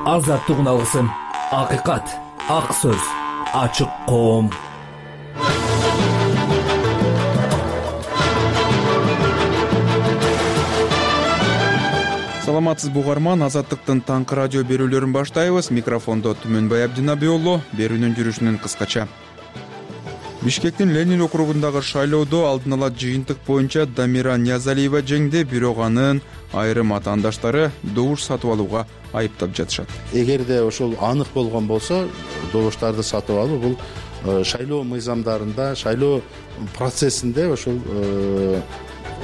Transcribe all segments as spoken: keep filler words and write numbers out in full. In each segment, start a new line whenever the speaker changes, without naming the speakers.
азаттыгын алгысың. Акыйкат, ак сөз, ачык коом.
Саламатсызбы угарман, Азаттыктын таңкы радио берүүлөрүн баштайбыз. Микрофондо Түмөнбай Абдинабиулу. Берүүнүн жүрүшүнөн кыскача. Бишкектин Ленин округундагы шайлоодо алдын ала жыйынтык боюнча Дамира Ниязалиева жеңди, бирок анын айрым атаандаштары добуш сатып алууга айыптап жатышат.
Эгерде ошол анык болгон болсо, добуштарды сатып алуу бул шайлоо мыйзамдарында, шайлоо процессинде ошол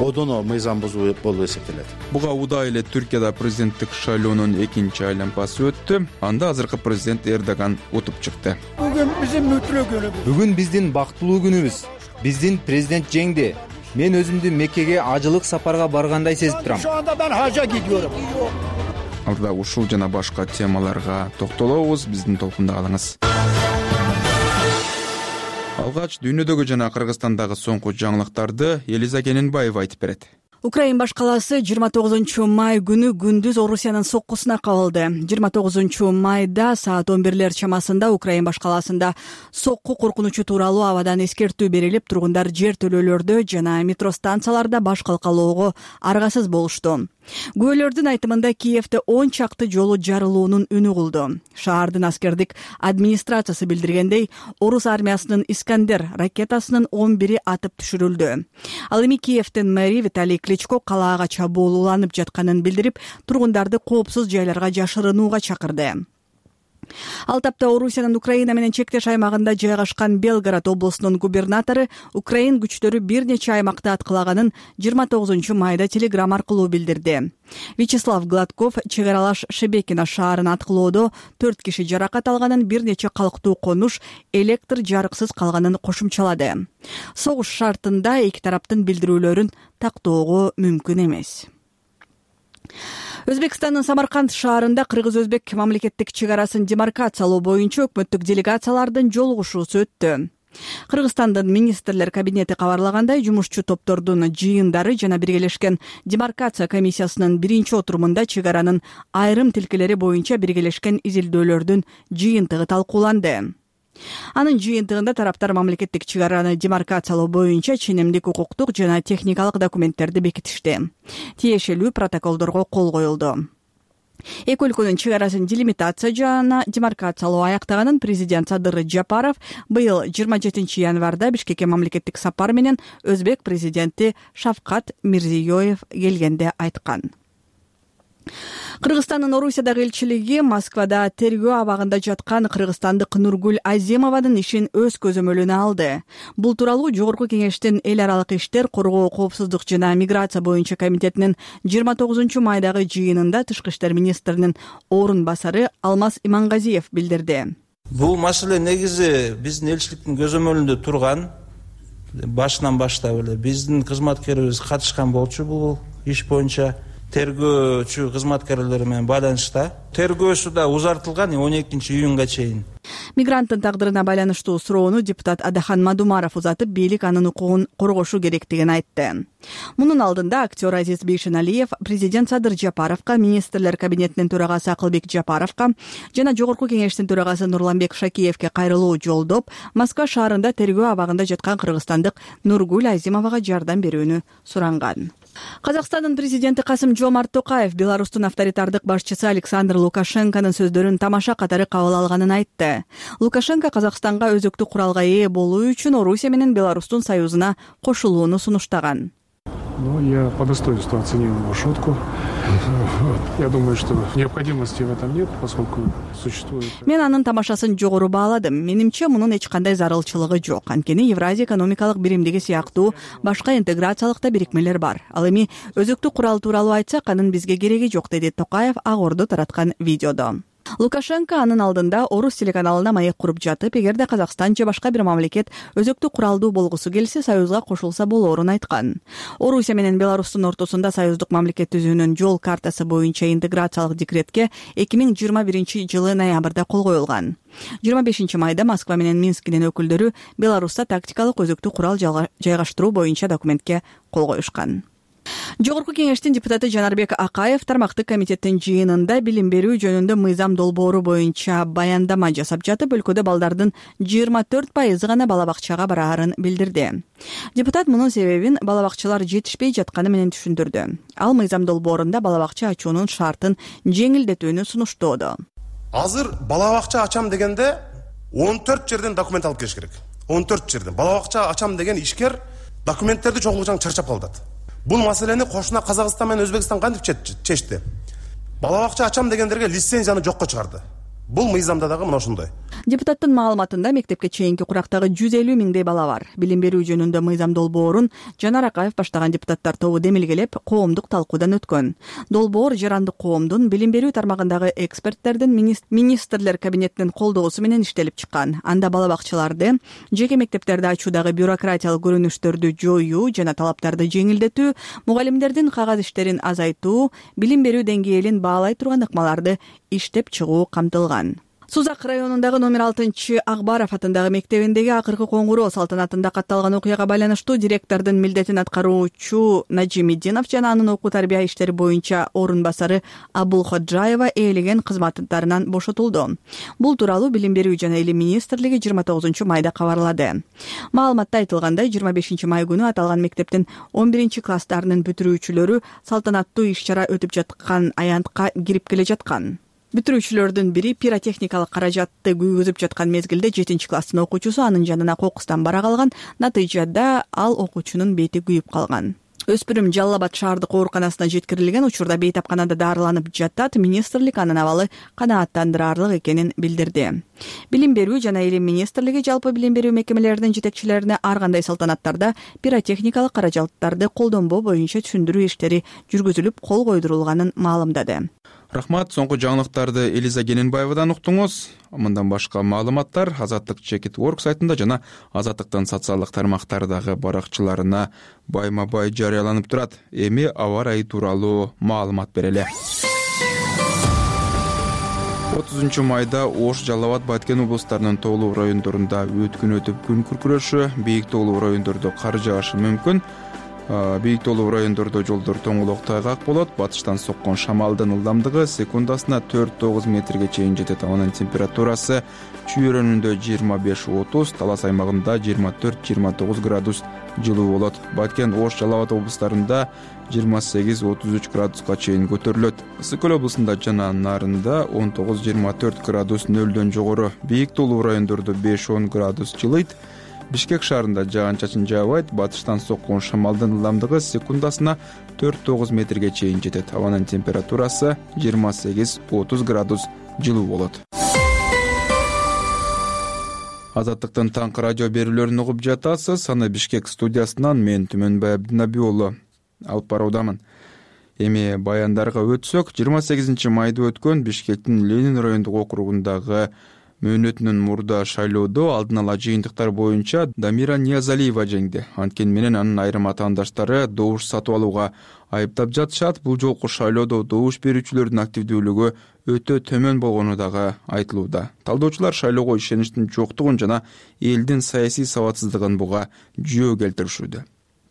одоно мыйзам бузуу болуп эсептелет.
Буга удаа эле Түркияда президенттик шайлоонун экинчи айланпасы өттү. Анда азыркы президент Эрдоган утуп чыкты.
Бүгүн биздин мүтлүү күнүбүз.
Бүгүн биздин бактылуу күнүбүз. Биздин президент жеңди. Мен өзүмдү Меккеге ажылык сапарга баргандай сезип турам.
Şu anda ben hacca gidiyorum.
Алда ушул жана башка темаларга токтолобуз. Биздин толкунда калыңыз. Алгач дүйнөдөгү жана Кыргызстандагы соңку жаңылыктарды Элиза Кененбаева айтып берет.
Украин баш калаасы жыйырма тогузунчу май күнү күндүз Орусиянын соккусуна кабылды. жыйырма тогузунчу майда саат он бирлер чамасында Украин баш калаасында сокку коркунучу тууралуу абадан эскертүү берилип, тургундар жер төлөөлөрдө жана метро станцияларда баш калкалоого аргасыз болушту. Күбөлөрдүн айтымында Киевде он чакты жолу жарылуунун үнү кулду. Шаардын аскердик администрациясы билдиргендей, орус армиясынын Искандер ракетасынын он бири атып түшүрүлдү. Ал эми Киевдин мэри Виталий Кличко калаага чабуул уланып жатканын билдирип, тургундарды коопсуз жайларга жашырынууга чакырды. Ал тапта Орусиянын Украина менен чектеш аймагында жайгашкан Белгород облусунун губернатору Украин күчтөрү бир нече аймакты аткылаганын жыйырма тогузунчу майда телеграмма аркылуу билдирди. Вячеслав Гладков чек аралаш Шебекино шаарын аткылоодо төрт киши жаракат алганын, бир нече калктуу конуш электр жарыксыз калганын кошумчалады. Согуш шартында эки тараптын билдирүүлөрүн тактоого мүмкүн эмес. Өзбекстандын Самарканд шаарында кыргыз-өзбек мамлекеттик чек арасын демаркациялоо боюнча өкмөттүк делегациялардын жолугушуусу өттү. Кыргызстандын министрлер кабинети кабарлагандай, жумушчу топтордун жыйындары жана биргелешкен демаркация комиссиясынын биринчи отурумунда чек аранын айрым тилкелери боюнча биргелешкен изилдөөлөрдүн жыйынтыгы талкууланды. Анын жыйынтыгында тараптар мамлекеттик чек араны демаркациялоо боюнча ченемдик укуктук жана техникалык документтерди бекитишти. Тиешелүү протоколдорго кол коюлду. Эки өлкөнүн чек арасын делимитация жана демаркациялоо аяктаганын президент Садыр Жапаров быйыл жыйырма жетинчи январда Бишкекке мамлекеттик сапар менен өзбек президенти Шавкат Мирзиёев келгенде айткан. Кыргызстандын Орусиядагы элчилиги Москвада тергөө абагында жаткан кыргызстандык Нургуль Азимованын ишин өз көзөмөлүнө алды. Бул тууралуу Жогорку Кеңештин эл аралык иштер, коргоо, коопсуздук жана миграция боюнча комитетинин жыйырма тогузунчу майдагы жыйынында Тышкы иштер министринин орун басары Алмаз Имангазиев билдирди.
Бул маселе негизи биздин элчиликтин көзөмөлүндө турган, башынан баштап эле биздин кызматкерибиз катышкан болчу бул иш боюнча. Тергөөчү кызматкерлери менен байланышта. Тергөөсү да узартылган он экинчи июнга чейин.
Мигранттын тагдырына байланыштуу суроону депутат Адахан Мадумаров узатып, бийлик анын укугун коргошу керектигин айтты. Мунун алдында актер Азиз Бейшеналиев президент Садыр Жапаровго, министрлер кабинетинин төрагасы Акылбек Жапаровго жана Жогорку Кеңештин төрагасы Нурланбек Шакиевке кайрылуу жолдоп, Москва шаарында тергөө абагында жаткан кыргызстандык Нургуль Азимовага жардам берүүнү суранган. Казакстандын президенти Касым-Жомарт Токаев Беларустун авторитардык башчысы Александр Лукашенконун сөздөрүн тамаша катары кабыл алганын айтты. Лукашенко Казакстанга өзөктүк куралга ээ болуу үчүн Орусия менен Беларустун союзуна кошулууну сунуштаган.
Ну, я по достоинству оценил его шутку. Я думаю, что необходимости в этом нет, поскольку существует...
Мен анын тамашасын жогору бааладым. Менимче мунун эч кандай зарылчылыгы жок. Анткени Евразия экономикалык биримдиги сыяктуу башка интеграциялык да бирикмелер бар. Ал эми өзөктүк курал тууралуу айтсак, анын бизге кереги жок, деди Токаев Ак Ордо тараткан видеодо. Лукашенко анын алдында Орус телеканалына маек куруп жатып, эгерде Казакстан же башка бир мамлекет өзөктүк куралдуу болгусу келсе, союзга кошулса болоорун айткан. Орусия менен Беларустун ортосунда союздук мамлекет түзүүнүн жол картасы боюнча интеграциялык декретке эки миң жыйырма биринчи жылы ноябрда кол коюлган. жыйырма бешинчи майда Москва менен Минскинин өкүлдөрү Беларуста тактикалык өзөктүк курал жайгаштыруу боюнча документке кол коюшкан. Жогорку кеңештин депутаты Жанарбек Акаев тармактык комитеттин жыйынында билим берүү жөнүндө мыйзам долбоору боюнча баяндама жасап жатып, өлкөдө балдардын жыйырма төрт пайызы гана бала бакчага бараарын билдирди. Депутат мунун себебин бала бакчалар жетишпей жатканы менен түшүндүрдү. Ал мыйзам долбоорунда бала бакча ачуунун шартын жеңилдетүүнү сунуштоодо.
Азыр бала бакча ачам дегенде он төрт жерден документ алып келиш керек. он төрт жерден. Бала бакча ачам деген ишкер документтерди чогултуудан чарчап калдат. Бул маселени кошуна Казакстан менен Өзбекстан кантип чечти? Бала бакча ачам дегендерге лицензияны жокко чыгарды. Бул мыйзамда дагы мына ошондой.
Депутаттын маалыматында мектепке чейинки курактагы жүз элүү миңдей бала бар. Билим берүү жөнүндө мыйзам долбоорун Жанар Акаев баштаган депутаттар тобу демилгелеп, коомдук талкуудан өткөн. Долбоор жарандык коомдун билим берүү тармагындагы эксперттердин министрлер кабинетинин колдоосу менен иштелип чыккан. Анда бала бакчаларды, жеке мектептерди ачуудагы бюрократиялык көрүнүштөрдү жоюу жана талаптарды жеңилдетүү, мугалимдердин кагаз иштерин азайтуу, билим берүү деңгээлин баалай турган ыкмаларды иштеп чыгуу камтылган. Сузак районундагы номер алтынчы Акбаров атындагы мектебиндеги акыркы коңгуроо салтанатында катталган окуяга байланыштуу директордун милдетин аткаруучу Нажимиддинов жана анын окуу тарбия иштери боюнча орун басары Абул Ходжаева ээлеген кызматтарынан бошотулду. Бул тууралуу Билим берүү жана илим министрлиги жыйырма тогузунчу майда кабарлады. Маалыматта айтылгандай, жыйырма бешинчи май күнү аталган мектептин он биринчи класстарынын бүтүрүүчүлөрү салтанаттуу иш-чара өтүп жаткан аянтка кирип келе жаткан. Бүтүрүүчүлөрдүн бири пиротехникалык каражатты күйгүзүп жаткан мезгилде жетинчи класстын окуучусу анын жанына кокустан бара калган. Натыйжада ал окуучунун бети күйүп калган. Өспүрүм Жалал Абад шаардык ооруканасына жеткирилген, учурда бейтапканада дарыланып жатат. Министрлик анын абалы канааттандырарлык экенин билдирди. Билим берүү жана илим министрлиги жалпы билим берүү мекемелеринин жетекчилерине ар кандай салтанаттарда пиротехникалык каражаттарды колдонбоо боюнча түшүндүрүү иштери жүргүзүлүп, кол койдурулганын маалымдады.
Рахмат, соңку жаңылыктарды Элиза Гененбаевадан уктуңуз. Мындан башка маалыматтар Азаттык Чекит Орг сайтында жана Азаттыктын социалдык тармактардагы баракчаларына байма-бай жарыяланып турат. Эми аба ырайы тууралуу маалымат берели. отузунчу майда Ош, Жалал Абад, Баткен облустарынын тоолуу райондорунда өткүн өтүп күн күркүрөшү, бийик тоолуу райондордо кар жаашы мүмкүн. Бийик тоолуу райондордо жолдор тоңолок тайгак болот. Батыштан соккон шамалдын ылдамдыгы секундасына төрт тогуз метрге чейин жетет. Анын температурасы чүйөрөнүндө жыйырма беш отуз, Талас аймагында жыйырма төрт жыйырма тогуз градус жылуу болот. Баткен, Ош, Жалал Абад облустарында жыйырма сегиз отуз үч градуска чейин көтөрүлөт. Ысык Көл облусунда жана Нарында он тогуз жыйырма төрт градус нөлдөн жогору. Бийик тоолуу райондордо беш он градус жылыйт. Бишкек шаарында жаан-чачын жаабайт. Батыштан соккон шамалдын ылдамдыгы секундасына төрт тогуз метрге чейин жетет. Абанын температурасы жыйырма сегиз отуз градус жылуу болот. Азаттыктын таңкы радио берүүлөрүн угуп жатасыз. Аны Бишкек студиясынан мен Түмөнбай Абдинабий уулу алып баруудамын. Эми баяндарга өтсөк, жыйырма сегизинчи майда өткөн Бишкектин Ленин райондук округундагы мөөнөтүнөн мурда шайлоодо алдын ала жыйынтыктар боюнча Дамира Ниязалиева жеңди. Анткени менен анын айрым атаандаштары добуш сатып алууга айыптап жатышат. Бул жолку шайлоодо добуш берүүчүлөрдүн активдүүлүгү өтө төмөн болгону дагы айтылууда. Талдоочулар шайлоого ишеничтин жоктугун жана элдин саясий сабатсыздыгын буга жүйө келтиришүүдө.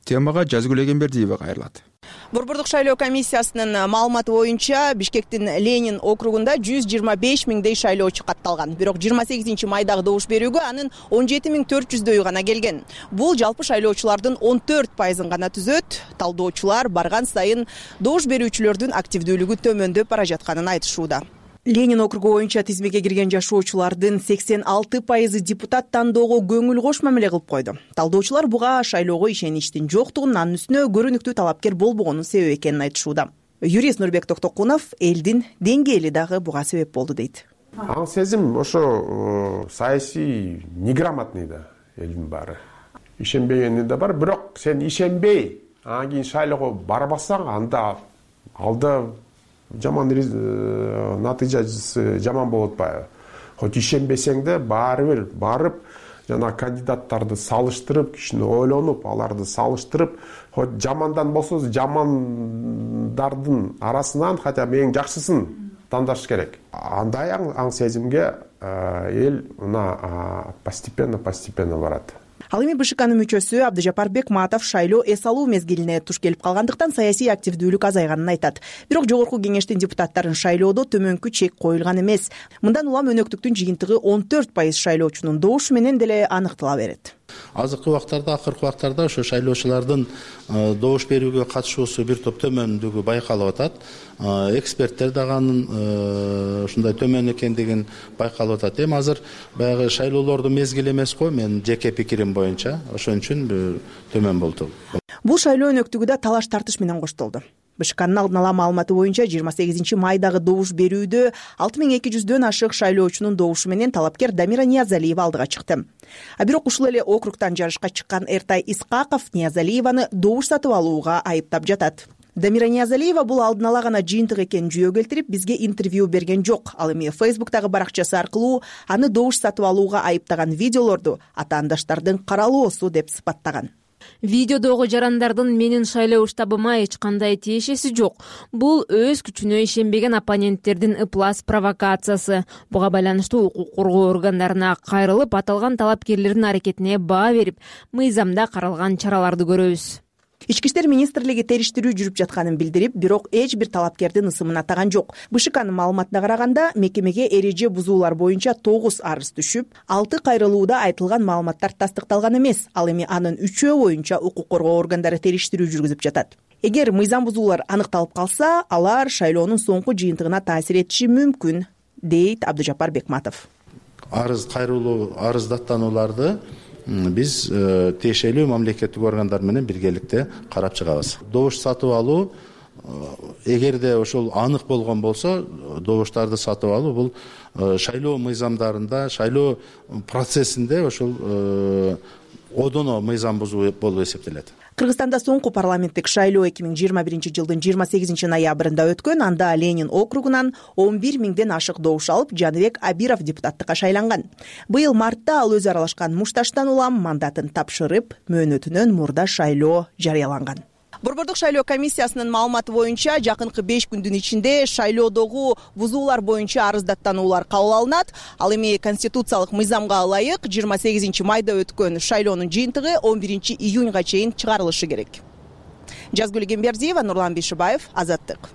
Темага Жазгүл Эгембердиева кайрылат.
Борбордук шайлоо комиссиясынын маалыматы боюнча Бишкектин Ленин округунда жүз жыйырма беш миңдей шайлоочу катталган. Бирок жыйырма сегизинчи майдагы добуш берүүгө анын он жети миң төрт жүздөйү гана келген. Бул жалпы шайлоочулардын он төрт пайызын гана түзөт. Талдоочулар барган сайын добуш берүүчүлөрдүн активдүүлүгү төмөндөп бара жатканын айтышууда. Ленин округу боюнча тизмеге кирген жашоочулардын сексен алты пайызы депутат тандоого көңүл кош мамиле кылып койду. Талдоочулар буга шайлоого ишеничтин жоктугун, анын үстүнө көрүнүктүү талапкер болбогонун себеп экенин айтышууда. Юрист Нурбек Токтокунов элдин деңгээли дагы буга себеп болду дейт.
Аң сезим ошо саясий неграмотный да элдин баары. Ишенбегени да бар, бирок сен ишенбей, анан кийин шайлоого барбасаң, анда алда жаман натыйжасы жаман болуп атпайбы? Хоть ишенбесең да баары бир барып, жана кандидаттарды салыштырып, кишини ойлонуп, аларды салыштырып, хоть жамандан болсо жамандардын арасынан хотя бы эң жакшысын тандаш керек. Андай аң сезимге эл мына постепенно постепенно барат.
Ал эми БШКнын мүчөсү Абдыжапар Бекматов шайлоо эс алуу мезгилине туш келип калгандыктан саясий активдүүлүк азайганын айтат. Бирок жогорку кеңештин депутаттарын шайлоодо төмөнкү чек коюлган эмес. Мындан улам өнөктүктүн жыйынтыгы он төрт пайыз шайлоочунун добушу менен деле аныктала берет.
Азыркы убактарда, акыркы убактарда ошо шайлоочулардын добуш берүүгө катышуусу бир топ төмөндүгү байкалып атат. Эксперттер дагы анын ушундай төмөн экендигин байкалып атат. Эми азыр баягы шайлоолордун мезгили эмес го, менин жеке пикирим боюнча, ошон үчүн төмөн болду.
Бул шайлоо өнөктүгү да талаш тартыш менен коштолду. БШКнын алдын ала маалыматы боюнча жыйырма сегизинчи майдагы добуш берүүдө алты миң эки жүздөн ашык шайлоочунун добушу менен талапкер Дамира Ниязалиева алдыга чыкты. А бирок ушул эле округтан жарышка чыккан Эртай Исқаков Ниязалиеваны добуш сатып алууга айыптап жатат. Дамира Ниязалиева бул алдын ала гана жыйынтык экенин жүйө келтирип, бизге интервью берген жок. Ал эми Фейсбуктагы баракчасы аркылуу аны добуш сатып алууга айыптаган видеолорду атаандаштардын каралоосу деп сыпаттаган.
Видеодогу жарандардын менин шайлоо штабыма эч кандай тиешеси жок. Бул өз күчүнө ишенбеген оппоненттердин ыплас провокациясы. Буга байланыштуу укук коргоо органдарына кайрылып, аталган талапкерлердин аракетине баа берип, мыйзамда каралган чараларды көрөбүз.
Ички иштер министрлиги териштирүү жүрүп жатканын билдирип, бирок эч бир талапкердин ысымын атаган жок. БШКнын маалыматына караганда, мекемеге эреже бузуулар боюнча тогуз арыз түшүп, алты кайрылууда айтылган маалыматтар тастыкталган эмес. Ал эми анын үчөө боюнча укук коргоо органдары териштирүү жүргүзүп жатат. Эгер мыйзам бузуулар аныкталып калса, алар шайлоонун соңку жыйынтыгына таасир этиши мүмкүн, дейт Абдыжапар Бекматов.
Арыз кайрылуу, арыздаттанууларды биз тиешелүү мамлекеттик органдар менен биргеликте карап чыгабыз. Добуш сатып алуу, эгерде ошол анык болгон болсо, добуштарды сатып алуу бул шайлоо мыйзамдарында, шайлоо процессинде ошол одоно мыйзам бузуу болуп эсептелет.
Кыргызстанда соңку парламенттик шайлоо эки миң жыйырма биринчи жылдын жыйырма сегизинчи ноябрында өткөн. Анда Ленин округунан он бир миңден ашык добуш алып, Жаныбек Абиров депутаттыкка шайланган. Быйыл мартта ал өзү аралашкан Мушташтан улам мандатын тапшырып, мөөнөтүнөн мурда шайлоо жарыяланган. Борбордук шайлоо комиссиясынын маалыматы боюнча жакынкы беш күндүн ичинде шайлоодогу бузуулар боюнча арыздаттануулар кабыл алынат. Ал эми конституциялык мыйзамга ылайык жыйырма сегизинчи майда өткөн шайлоонун жыйынтыгы он биринчи июньга чейин чыгарылышы керек. Жазгүл Гембердиева, Нурлан Бишибаев, Азаттык.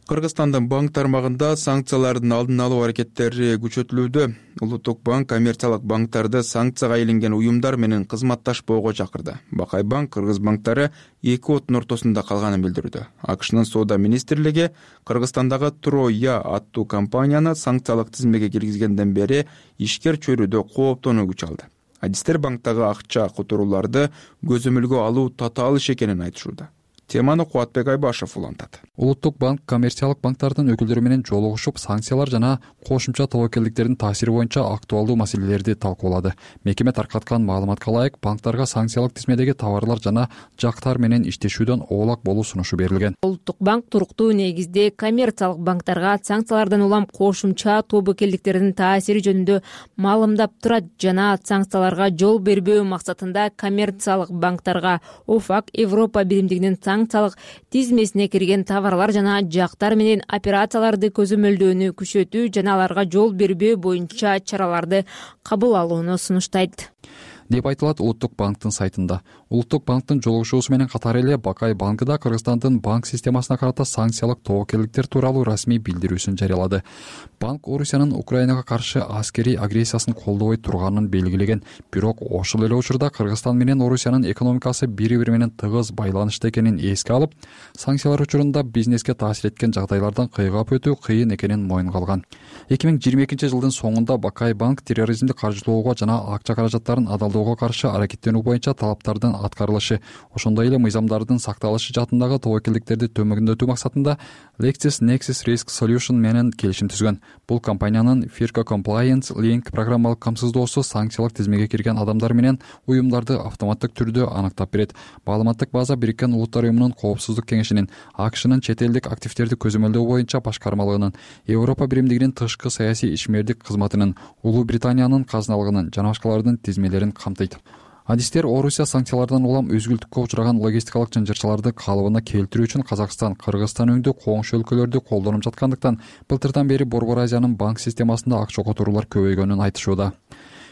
Кыргызстандын банк тармагында санкциялардын алдын алуу аракеттери күчөтүлүүдө. Улуттук банк коммерциялык банктарды санкцияга илинген уюмдар менен кызматташпоого чакырды. Бакай банк кыргыз банктары эки оттун ортосунда калганын билдирүүдө. АКШнын соода министрлиги Кыргызстандагы Троя аттуу компанияны санкциялык тизмеге киргизгенден бери ишкер чөйрөдө кооптонуу күч алды. Адистер банктагы акча которууларды көзөмөлгө алуу татаал иш экенин айтышууда. Теманы Кубатбек Айбашев улантат.
Улуттук банк коммерциялык банктардын өкүлдөрү менен жолугушуп, санкциялар жана кошумча тобокелдиктердин таасири боюнча актуалдуу маселелерди талкуулады. Мекеме таркаткан маалыматка ылайык, банктарга санкциялык тизмедеги товарлар жана жактар менен иштешүүдөн оолак болуу сунушу берилген.
Улуттук банк туруктуу негизде коммерциялык банктарга санкциялардан улам кошумча тобокелдиктердин таасири жөнүндө маалымдап турат жана санкцияларга жол бербөө максатында коммерциялык банктарга ОФАК Европа биримдигинин санкциялык тизмесине кирген товарлар жана жактар менен операцияларды көзөмөлдөөнү күчөтүү жана аларга жол бербөө боюнча чараларды кабыл алууну сунуштайт
деп айтылат Улуттук банктын сайтында. Улуттук банктын жолугушуусу менен катар эле Бакай банкы да Кыргызстандын банк системасына карата санкциялык тобокелдиктер тууралуу расмий билдирүүсүн жарыялады. Банк Орусиянын Украинага каршы аскерий агрессиясын колдобой турганын белгилеген. Бирок ошол эле учурда Кыргызстан менен Орусиянын экономикасы бири-бири менен тыгыз байланышта экенин эске алып, санкциялар учурунда бизнеске таасир эткен жагдайлардан кыйгап өтүү кыйын экенин моюнга алган. эки миң жыйырма экинчи жылдын соңунда Бакай банк терроризмди каржылоого жана акча каражаттарын адалдоого каршы аракеттенүү боюнча талаптардын аткарылышы, ошондой эле мыйзамдардын сакталышы жаатындагы тобокелдиктерди төмөндөтүү максатында LexisNexis Risk Solution менен келишим түзгөн. Бул компаниянын Firco Compliance Link программалык камсыздоосу санкциялык тизмеге кирген адамдар менен уюмдарды автоматтык түрдө аныктап берет. Маалыматтык база Бириккен Улуттар уюмунун Коопсуздук кеңешинин, АКШнын чет элдик активдерди көзөмөлдөө боюнча башкармалыгынын, Европа биримдигинин тышкы саясий ишмердик кызматынын, Улуу Британиянын казыналыгынын жана башкалардын тизмелерин камтыйт. адистер Орусия санкциялардан улам өзгүлтүккө учураган логистикалык жынжырчыларды калыбына келтирүү үчүн Казакстан, Кыргызстан өңдүү коңшу өлкөлөрдү колдонуп жаткандыктан былтырдан бери Борбор Азиянын банк системасында акча которуулар көбөйгөнүн айтышууда.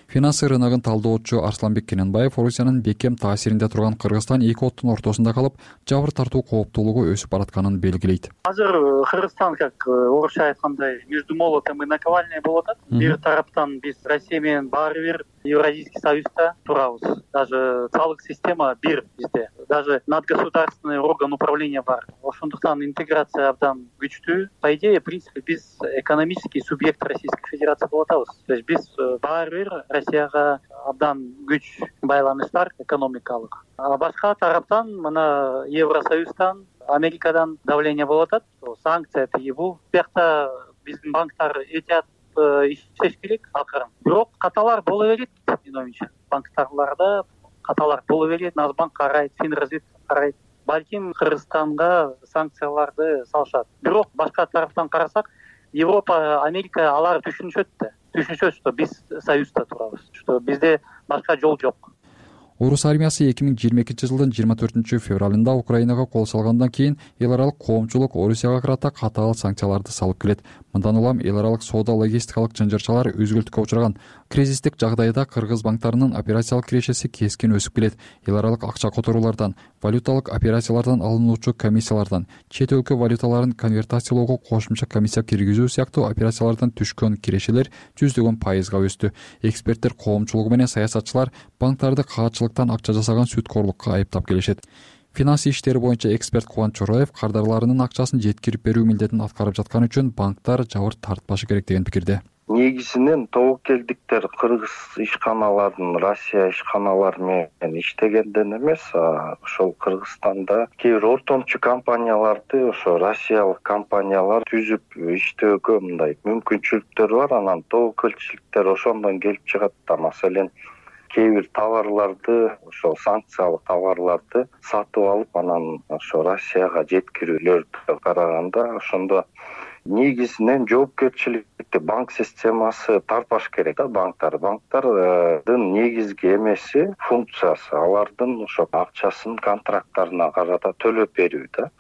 Финансы рыногун талдоочу Арсланбек Кененбаев Орусиянын бекем таасиринде турган Кыргызстан эки оттун ортосунда калып, жабыр тартуу кооптуулугу өсүп баратканын белгилейт.
Азыр Кыргызстан, как орусча айткандай, между молотом и наковальней болуп атат. Бир тараптан биз Россия менен баары бир Евразийский союзда турабыз. Даже салык система бир бизде. Даже надгосударственный орган управления бар. Ошондуктан интеграция абдан күчтүү. По идее, в принципе, биз экономический субъект Российской Федерации болуп атабыз. То есть биз баары бир Россияга абдан күч байланыш бар экономикалык. А башка тараптан мына Евросоюздан, Америкадан давление болуп атат. Санкция тиги бул. Биякта биздин банктар этият иштеш керек акырын. Бирок каталар боло берет, менин оюмча. Банктарларда каталар боло берет, Нацбанк карайт, Финразведка карайт. Балким Кыргызстанга санкцияларды салышат. Бирок башка тараптан карасак, Европа, Америка алар түшүнүшөт да. Түшүнүшөт, что биз союзда турабыз, что бизде башка жол жок.
Орус армиясы эки миң жыйырма экинчи жылдын жыйырма төртүнчү февралында Украинага кол салгандан кийин эл аралык коомчулук Орусияга карата катаал санкцияларды салып келет. Мындан улам эл аралык соода логистикалык жынжырчалар өзгүлтүккө учураган. Кризистик жагдайда кыргыз банктарынын операциялык кирешеси кескин өсүп келет. Эл аралык акча которуулардан, валюталык операциялардан алынуучу комиссиялардан, чет өлкө валюталарын конвертациялоого кошумча комиссия киргизүү сыяктуу операциялардан түшкөн кирешелер жүздөгөн пайызга өстү. Эксперттер коомчулугу менен саясатчылар банктарды каатчылыктан акча жасаган сүткорлукка айыптап келишет. Финансы иштери боюнча эксперт Кубанч Чороев кардарларынын акчасын жеткирип берүү милдетин аткарып жатканы үчүн банктар жабыр тартпашы керек деген пикирде.
Негизинен тобокелдиктер кыргыз ишканаларын Россия ишканалары менен иштегенден эмес, ошол Кыргызстанда кээ бир ортомчу компанияларды ошо россиялык компаниялар түзүп иштөөгө мындай мүмкүнчүлүктөр бар. Анан тобокелчиликтер ошондон келип чыгат да. Маселен кээ бир товарларды, ошол санкциялык товарларды сатып алып, анан ошо Россияга жеткирүүлөрдү караганда ошондо негизинен жоопкерчиликти банк системасы тартпаш керек да. Банктар банктардын негизги эмеси, функциясы алардын ошо акчасын контракттарына карата төлөп берүү да.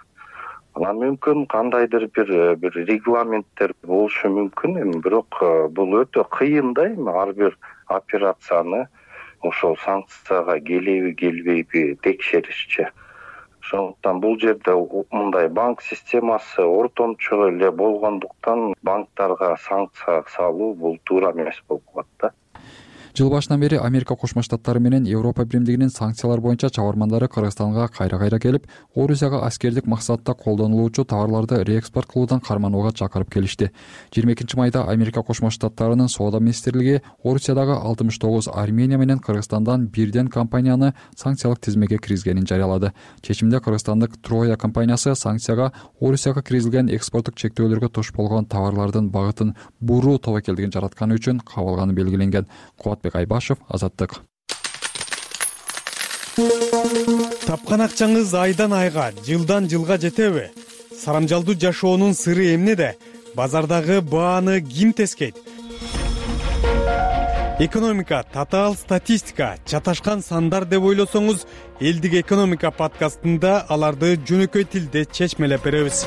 Анан мүмкүн кандайдыр бир бир регламенттер болушу мүмкүн, эми бирок бул өтө кыйын да. Эми ар бир операцияны ошол санкцияга келеби келбейби текшеришчи. Ошондуктан бул жерде мындай банк системасы ортомчу эле болгондуктан банктарга санкция салуу бул туура эмес болуп калат да.
Жыл башынан бери Америка Кошмо Штаттары менен Европа Биримдигинин санкциялар боюнча чабармандары Кыргызстанга кайра-кайра келип, Орусияга аскердик максатта колдонулуучу товарларды реэкспорт кылуудан карманууга чакырып келишти. жыйырма экинчи майда Америка Кошмо Штаттарынын соода министрлиги Орусиядагы алтымыш тогуз Армения менен Кыргызстандан бирден компанияны санкциялык тизмеге киргизгенин жарыялады. Чечимде кыргызстандык Троя компаниясы санкцияга Орусияга киргизилген экспорттук чектөөлөргө туш болгон товарлардын багытын буруу тобокелдигин жаратканы үчүн кабылганы белгиленген. Айбашев, Азаттык.
Тапкан акчаңыз айдан айга, жылдан жылга жетеби? Сарамжалдуу жашоонун сыры эмнеде? Базардагы бааны ким тескейт? Экономика, татаал статистика, чаташкан сандар деп ойлосоңуз, Элдик экономика подкастында аларды жөнөкөй тилде чечмелеп беребиз.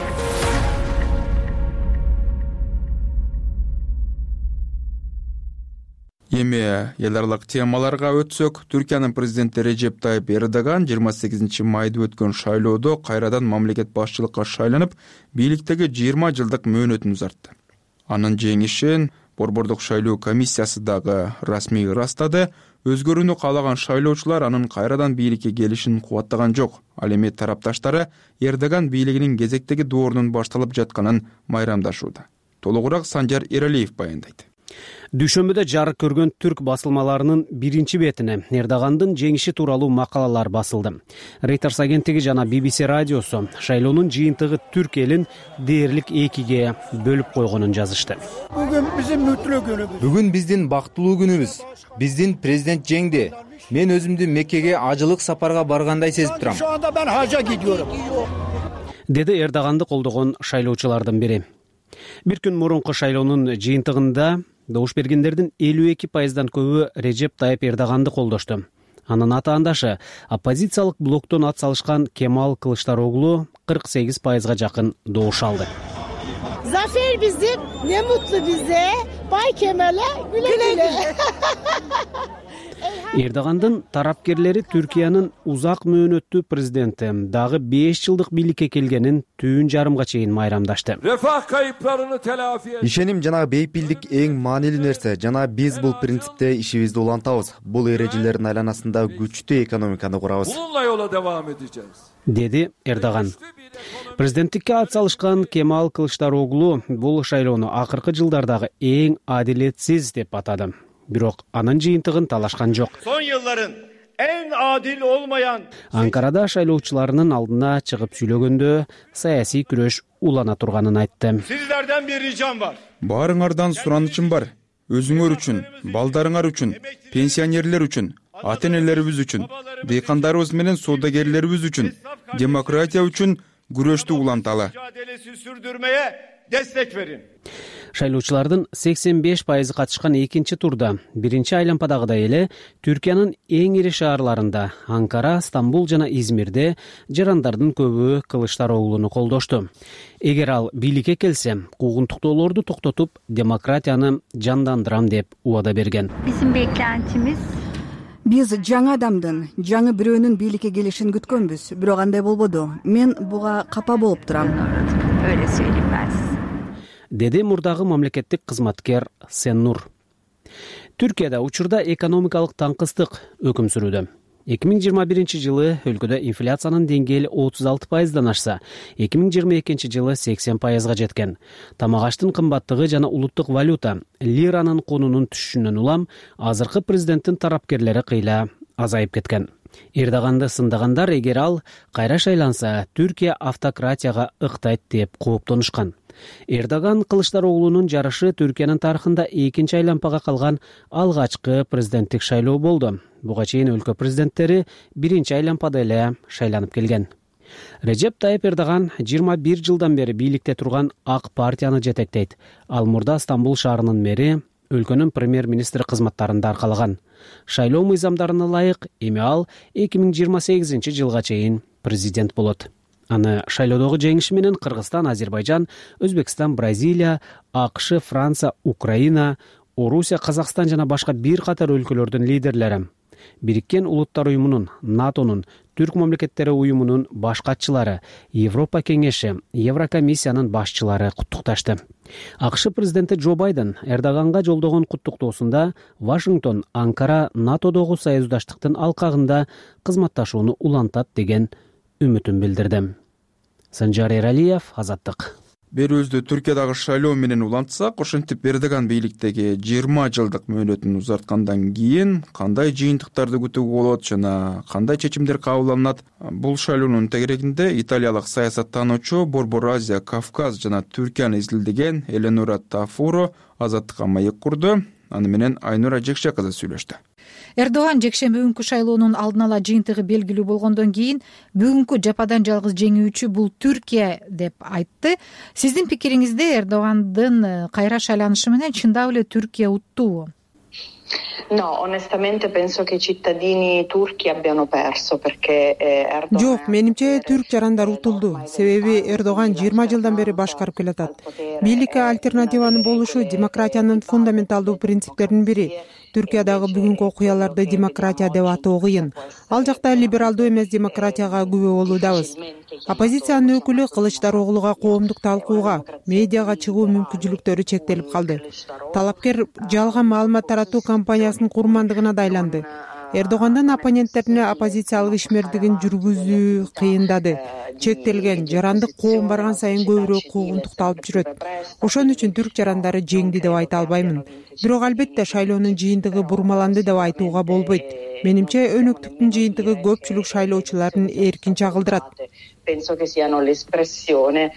Эми эл аралык темаларга өтсөк, Түркиянын президенти Режеп Тайып Эрдоган жыйырма сегизинчи майда өткөн шайлоодо кайрадан мамлекет башчылыкка шайланып, бийликтеги жыйырма жылдык мөөнөтүн узартты. Анын жеңишин Борбордук шайлоо комиссиясы дагы расмий ырастады. Өзгөрүүнү каалаган шайлоочулар анын кайрадан бийликке келишин кубаттаган жок. Ал эми тарапташтары Эрдоган бийлигинин кезектеги доорунун башталып жатканын майрамдашууда. Толугураак Санжар Эралиев баяндайт.
Дүйшөмбүдө жарык көргөн түрк басылмаларынын биринчи бетине Эрдогандын жеңиши тууралуу макалалар басылды. Reuters агенттиги жана би би си радиосу шайлоонун жыйынтыгы түрк элин дээрлик экиге бөлүп койгонун жазышты.
Бүгүн биздин мүтлүү күнүбүз.
Бүгүн биздин бактылуу күнүбүз. Биздин президент жеңди. Мен өзүмдү Меккеге ажылык сапарга баргандай сезип турам.
Şu anda ben hacca gidiyorum.
Деди Эрдоганды колдогон шайлоочулардын бири. Бир күн мурунку шайлоонун жыйынтыгында добуш бергендердин элүү эки пайыздан көбү Режеп Тайып Эрдоганды колдошту. Анын атаандашы оппозициялык блоктон ат салышкан Кемал Кылычдароглу кырк сегиз пайызга жакын добуш алды.
Zafer bizim, ne mutlu bize. Bay Kemal'e güle güle.
Эрдогандын тарапкерлери Түркиянын узак мөөнөттүү президенти дагы беш жылдык бийликке келгенин түн жарымга чейин майрамдашты.
Ишеним жана бейпилдик эң маанилүү нерсе, жана биз бул принципте ишибизди улантабыз. Бул эрежелердин айланасында күчтүү экономиканы курабыз.
Деди Эрдоган. Президенттикке ат салышкан Кемал Кылычдароглу бул шайлоону акыркы жылдардагы эң адилетсиз деп атады. Бирок анын жыйынтыгын талашкан жок.
Son yılların en adil olmayan
Анкарада шайлоочуларынын алдына чыгып сүйлөгөндө саясий күрөш улана турганын айтты.
Sizlerden bir ricam var.
Баарыңардан суранычым бар. Өзүңөр үчүн, балдарыңар үчүн, пенсионерлер үчүн, ата-энелерибиз үчүн, дыйкандарыбыз менен соодагерлерибиз үчүн, демократия үчүн күрөштү уланталы.
Mücadelesi sürdürmeye destek verin.
Шайлоочулардын сексен беш пайызы катышкан экинчи турда биринчи айлампадагыдай эле Түркиянын эң ири шаарларында Анкара, Стамбул жана Измирде жарандардын көбү Кылычдароглуну колдошту. Эгер ал бийликке келсе, куугунтуктоолорду токтотуп, демократияны жандандырам деп убада берген.
Bizim beklentimiz
Биз жаңы адамдын, жаңы бирөөнүн бийликке келишин күткөнбүз, бирок андай болбоду. Мен буга капа болуп турам.
öyle söyleyeyim ben size.
Деди мурдагы мамлекеттик кызматкер Сеннур. Түркияда учурда экономикалык таңкыстык өкүм сүрүүдө. эки миң жыйырма биринчи жылы өлкөдө инфляциянын деңгээли отуз алты пайыздан ашса, эки миң жыйырма экинчи жылы сексен пайызга жеткен. Тамак аштын кымбаттыгы жана улуттук валюта лиранын конунун түшүшүнөн улам азыркы президенттин тарапкерлери кыйла азайып кеткен. Эрдоганды сындагандар эгер ал кайра шайланса, Түркия автократияга ыктайт деп кооптонушкан. Эрдоган Кылычдароглунун жарышы Түркиянын тарыхында экинчи айлампага калган алгачкы президенттик шайлоо болду. Буга чейин өлкө президенттери биринчи айлампада эле шайланып келген. Режеп Тайып Эрдоган жыйырма бир жылдан бери бийликте турган Ак партияны жетектейт. Ал мурда Стамбул шаарынын мэри, өлкөнүн премьер-министри кызматтарында аркалаган. Шайлоо мыйзамдарына ылайык эми ал эки миң жыйырма сегизинчи жылга чейин президент болот. Аны шайлоодогу жеңиши менен Кыргызстан, Азербайжан, Өзбекстан, Бразилия, АКШ, Франция, Украина, Орусия, Казакстан жана башка бир катар өлкөлөрдүн лидерлери, Бириккен Улуттар уюмунун, НАТОнун, Түрк мамлекеттери уюмунун баш катчылары, Европа кеңеши, Еврокомиссиянын башчылары куттукташты. АКШ президенти Джо Байден Эрдоганга жолдогон куттуктоосунда Вашингтон Анкара НАТОдогу союздаштыктын алкагында кызматташууну улантат деген үмүтүн билдирди. Санжар Эралиев, Азаттык.
Берүүбүздү Түркиядагы шайлоо менен улантсак, ошентип Эрдоган бийликтеги жыйырма жылдык мөөнөтүн узарткандан кийин кандай жыйынтыктарды күтүүгө болот жана кандай чечимдер кабылданат? Бул шайлоонун тегерегинде италиялык саясаттануучу Борбор Азия, Кавказ жана Түркияны изилдеген Эленора Тафуро Азаттыкка маек курду. Аны менен Айнура Жекше кызы сүйлөштү.
Эрдоган жекшемби күнкү шайлоонун алдын ала жыйынтыгы белгилүү болгондон кийин бүгүнкү жападан жалгыз жеңүүчү бул Түркия деп айтты. Сиздин пикириңизде Эрдогандын кайра шайланышы менен чындап эле Түркия уттубу?
No, onestamente penso che i cittadini turchi abbiano perso perché Erdogan...
Жок, менимче түрк жарандар утулду. Себеби Эрдоган жыйырма жылдан бери башкарып келатат. Бийликке альтернативанын болушу демократиянын фундаменталдуу принциптеринин бири. Түркиядагы бүгүнкү окуяларды демократия деп атоо кыйын. Ал жакта либералдуу эмес демократияга күбө болуудабыз. Оппозициянын өкүлү Кылычдароглуга коомдук талкууга, медиага чыгуу мүмкүнчүлүктөрү чектелип калды. Талапкер жалган маалымат таратуу кампаниясынын курмандыгына да айланды. Эрдогандын оппоненттерине оппозициялык ишмердигин жүргүзүү кыйындады. Чектелген жарандык коом барган сайын көбүрөөк куугунтукталып жүрөт. Ошон үчүн түрк жарандары жеңди деп айта албаймын. Бирок албетте шайлоонун жыйынтыгы бурмаланды деп айтууга болбойт. Менимче өнөктүктүн жыйынтыгы көпчүлүк шайлоочулардын эркин чагылдырат.
Penso che siano l'espressione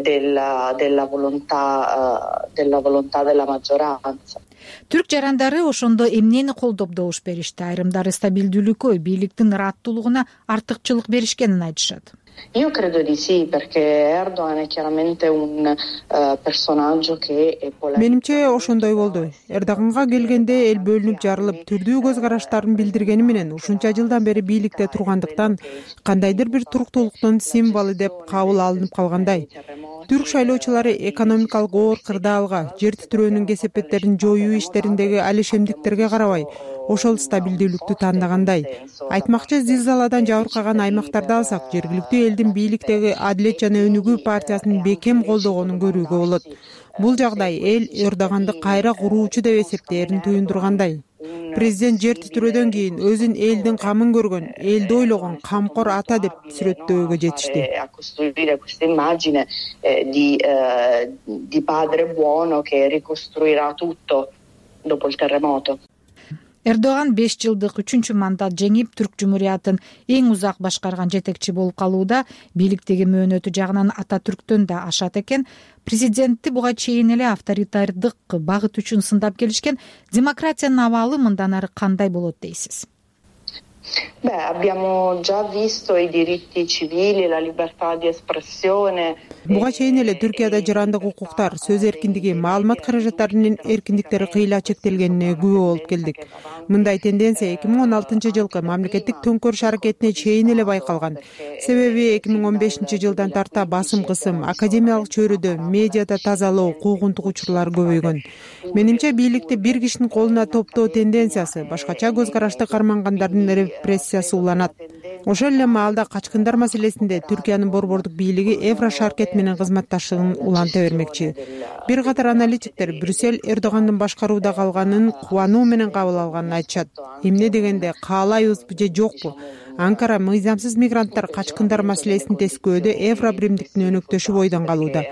della della volontà della volontà della maggioranza.
түрк жарандары ошондо эмнени колдоп добуш беришти? Айрымдары стабилдүүлүккө, бийликтин ыраттуулугуна артыкчылык беришкенин айтышат.
Io credo di sì, perché Erdogan è chiaramente un uh, personaggio che è polarizzante.
Менимче ошондой болду. Эрдоганга келгенде эл бөлүнүп жарылып, түрдүү көз караштарын билдиргени менен ушунча жылдан бери бийликте тургандыктан кандайдыр бир туруктуулуктун символу деп кабыл алынып калгандай. Түрк шайлоочулары экономикалык оор кырдаалга, жер титирөөнүн кесепеттерин жоюу иштериндеги алишемдиктерге карабай, ошол стабилдүүлүктү тандагандай. Айтмакчы, зилзаладан жабыркаган аймактарды алсак, жергиликтүү элдин бийликтеги Адилет жана Өнүгүү партиясын бекем колдогонун көрүүгө болот. Бул жагдай эл Эрдоганды кайра куруучу деп эсептээрин туюндургандай. Президент жер титирөөдөн кийин өзүн элдин камын көргөн, элди ойлогон камкор ата деп сүрөттөөгө жетишти.
A costruire questa immagine di di padre buono che ricostruirà tutto dopo il terremoto.
Эрдоган беш жылдык үчүнчү мандат жеңип, Түрк Жумуриятын эң узак башкарган жетекчи болуп калууда, бийликтеги мөөнөтү жагынан Ататүрктөн да ашат экен. Президентти буга чейин эле авторитардык багыт үчүн сындап келишкен. Демократиянын абалы мындан ары кандай болот дейсиз?
Beh, abbiamo già visto i diritti civili, la libertà di espressione.
Буга чейин эле Түркияда жарандык укуктар, сөз эркиндиги, маалымат каражаттарынын эркиндиктери кыйла чектелгенине күбө болуп келдик. Мындай тенденция эки миң он алтынчы жылкы мамлекеттик төңкөрүш аракетине чейин эле байкалган. Себеби эки миң он бешинчи жылдан тарта басым кысым, академиялык чөйрөдө, медиада тазалоо, куугунтук учурлары көбөйгөн. Менимче, бийликти бир кишинин колуна топтоо тенденциясы, башкача көз карашты кармангандардын репрессиясы уланат. Ошол эле маалда качкындар маселесинде Түркиянын борбордук бийлиги Еврошаркет менен кызматташтыгын уланта бермекчи. Бир катар аналитиктер Брюссель Эрдогандын башкарууда калганын кубануу менен кабыл алганын айтышат. Эмне дегенде, каалайбызбы же жокпу? Анкара мыйзамсыз мигранттар качкындар маселесин тескөөдө Евробиримдиктин өнөктөшү бойдон калууда.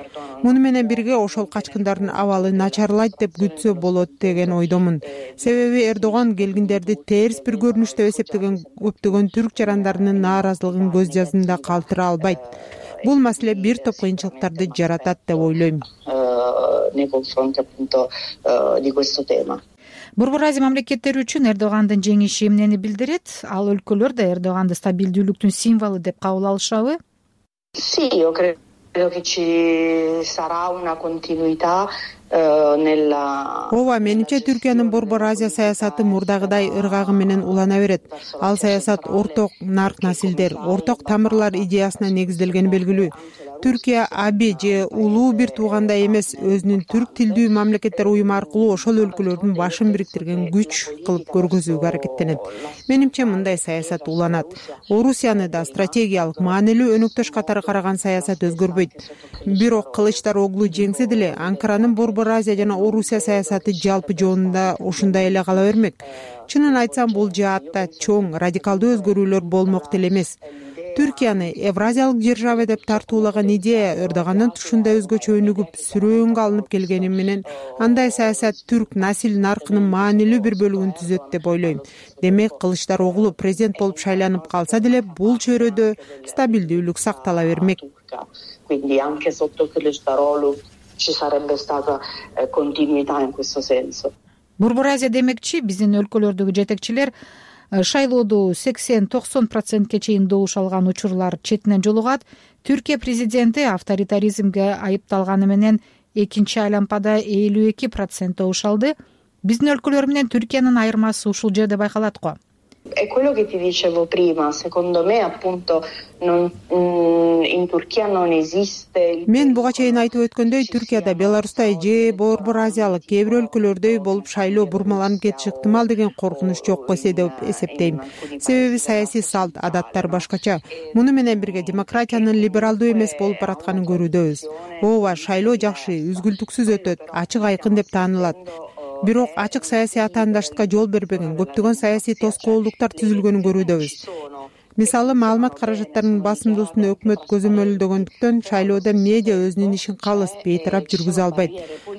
Муну менен бирге ошол качкындардын абалы начарлайт деп күтсө болот деген ойдомун. Себеби Эрдоган келгиндерди терс бир көрүнүш деп эсептеген көптөгөн түрк жарандарынын нааразылыгын көз жазында калтыра албайт. Бул маселе бир топ кыйынчылыктарды жаратат деп ойлойм.
Nei confronti appunto di questo tema.
Борбор Азия мамлекеттери үчүн Эрдогандын жеңиши эмнени билдирет? Ал өлкөлөр да Эрдоганды стабилдүүлүктүн символу деп кабыл алышабы?
Sì, io credo che ci sarà una continuità nella.
Ооба, менимче Түркиянын Борбор Азия саясаты мурдагыдай ыргагы менен улана берет. Ал саясат орток нарк насилдер, орток тамырлар идеясына негизделгени белгилүү. Түркия аби же улуу бир туугандай эмес, өзүнүн түрк тилдүү мамлекеттер уюму аркылуу ошол өлкөлөрдүн башын бириктирген күч кылып көргөзүүгө аракеттенет. Менимче, мындай саясат уланат. Орусияны да стратегиялык маанилүү өнөктөш катары караган саясат өзгөрбөйт. Бирок Кылычдароглу жеңсе деле, Анкаранын Борбор Азия жана Орусия саясаты жалпы жонунда ушундай эле кала бермек. Чынын айтсам, бул жаатта чоң, радикалдуу өзгөрүүлөр болмок деле эмес. Түркияны Евразиялык держава деп тартуулаган идея Эрдогандын тушунда өзгөчө өнүгүп, сүрөөнгө алынып келгени менен, андай саясат түрк насил наркынын маанилүү бир бөлүгүн түзөт деп ойлойм. Демек, Кылычдароглу президент болуп шайланып калса деле, бул чөйрөдө стабилдүүлүк сактала бермек.
Quindi anche sotto Kılıçdaroğlu ci sarebbe stata continuità in questo senso.
Борбор Азия демекчи, биздин өлкөлөрдөгү жетекчилер шайлоодо сексен токсон процентке чейин добуш алган учурлар четинен жолугат. Түркия президенти авторитаризмге айыпталганы менен экинчи айлампада элүү эки процент добуш алды. Биздин өлкөлөр менен Түркиянын айырмасы ушул жерде байкалат го.
È quello che ti dicevo prima, secondo me appunto non, in Turchia non esiste.
Мен буга чейин айтып өткөндөй, Түркияда, Беларустай же Борбор Азиялык кээ бир өлкөлөрдөй болуп шайлоо бурмаланып кетиши ыктымал деген коркунуч жок эсе деп эсептейм. Себеби саясий салт, адаттар башкача. Муну менен бирге демократиянын либералдуу эмес болуп баратканын көрүүдөбүз. Ооба, шайлоо жакшы, үзгүлтүксүз өтөт, ачык айкын деп таанылат. Бирок ачык саясий атаандаштыкка жол бербеген, көптөгөн саясий тоскоолдуктар түзүлгөнүн көрүүдөбүз. Мисалы, маалымат каражаттарынын басымдуусун өкмөт көзөмөлдөгөндүктөн шайлоодо медиа өзүнүн ишин калыс, бейтарап жүргүзө албайт.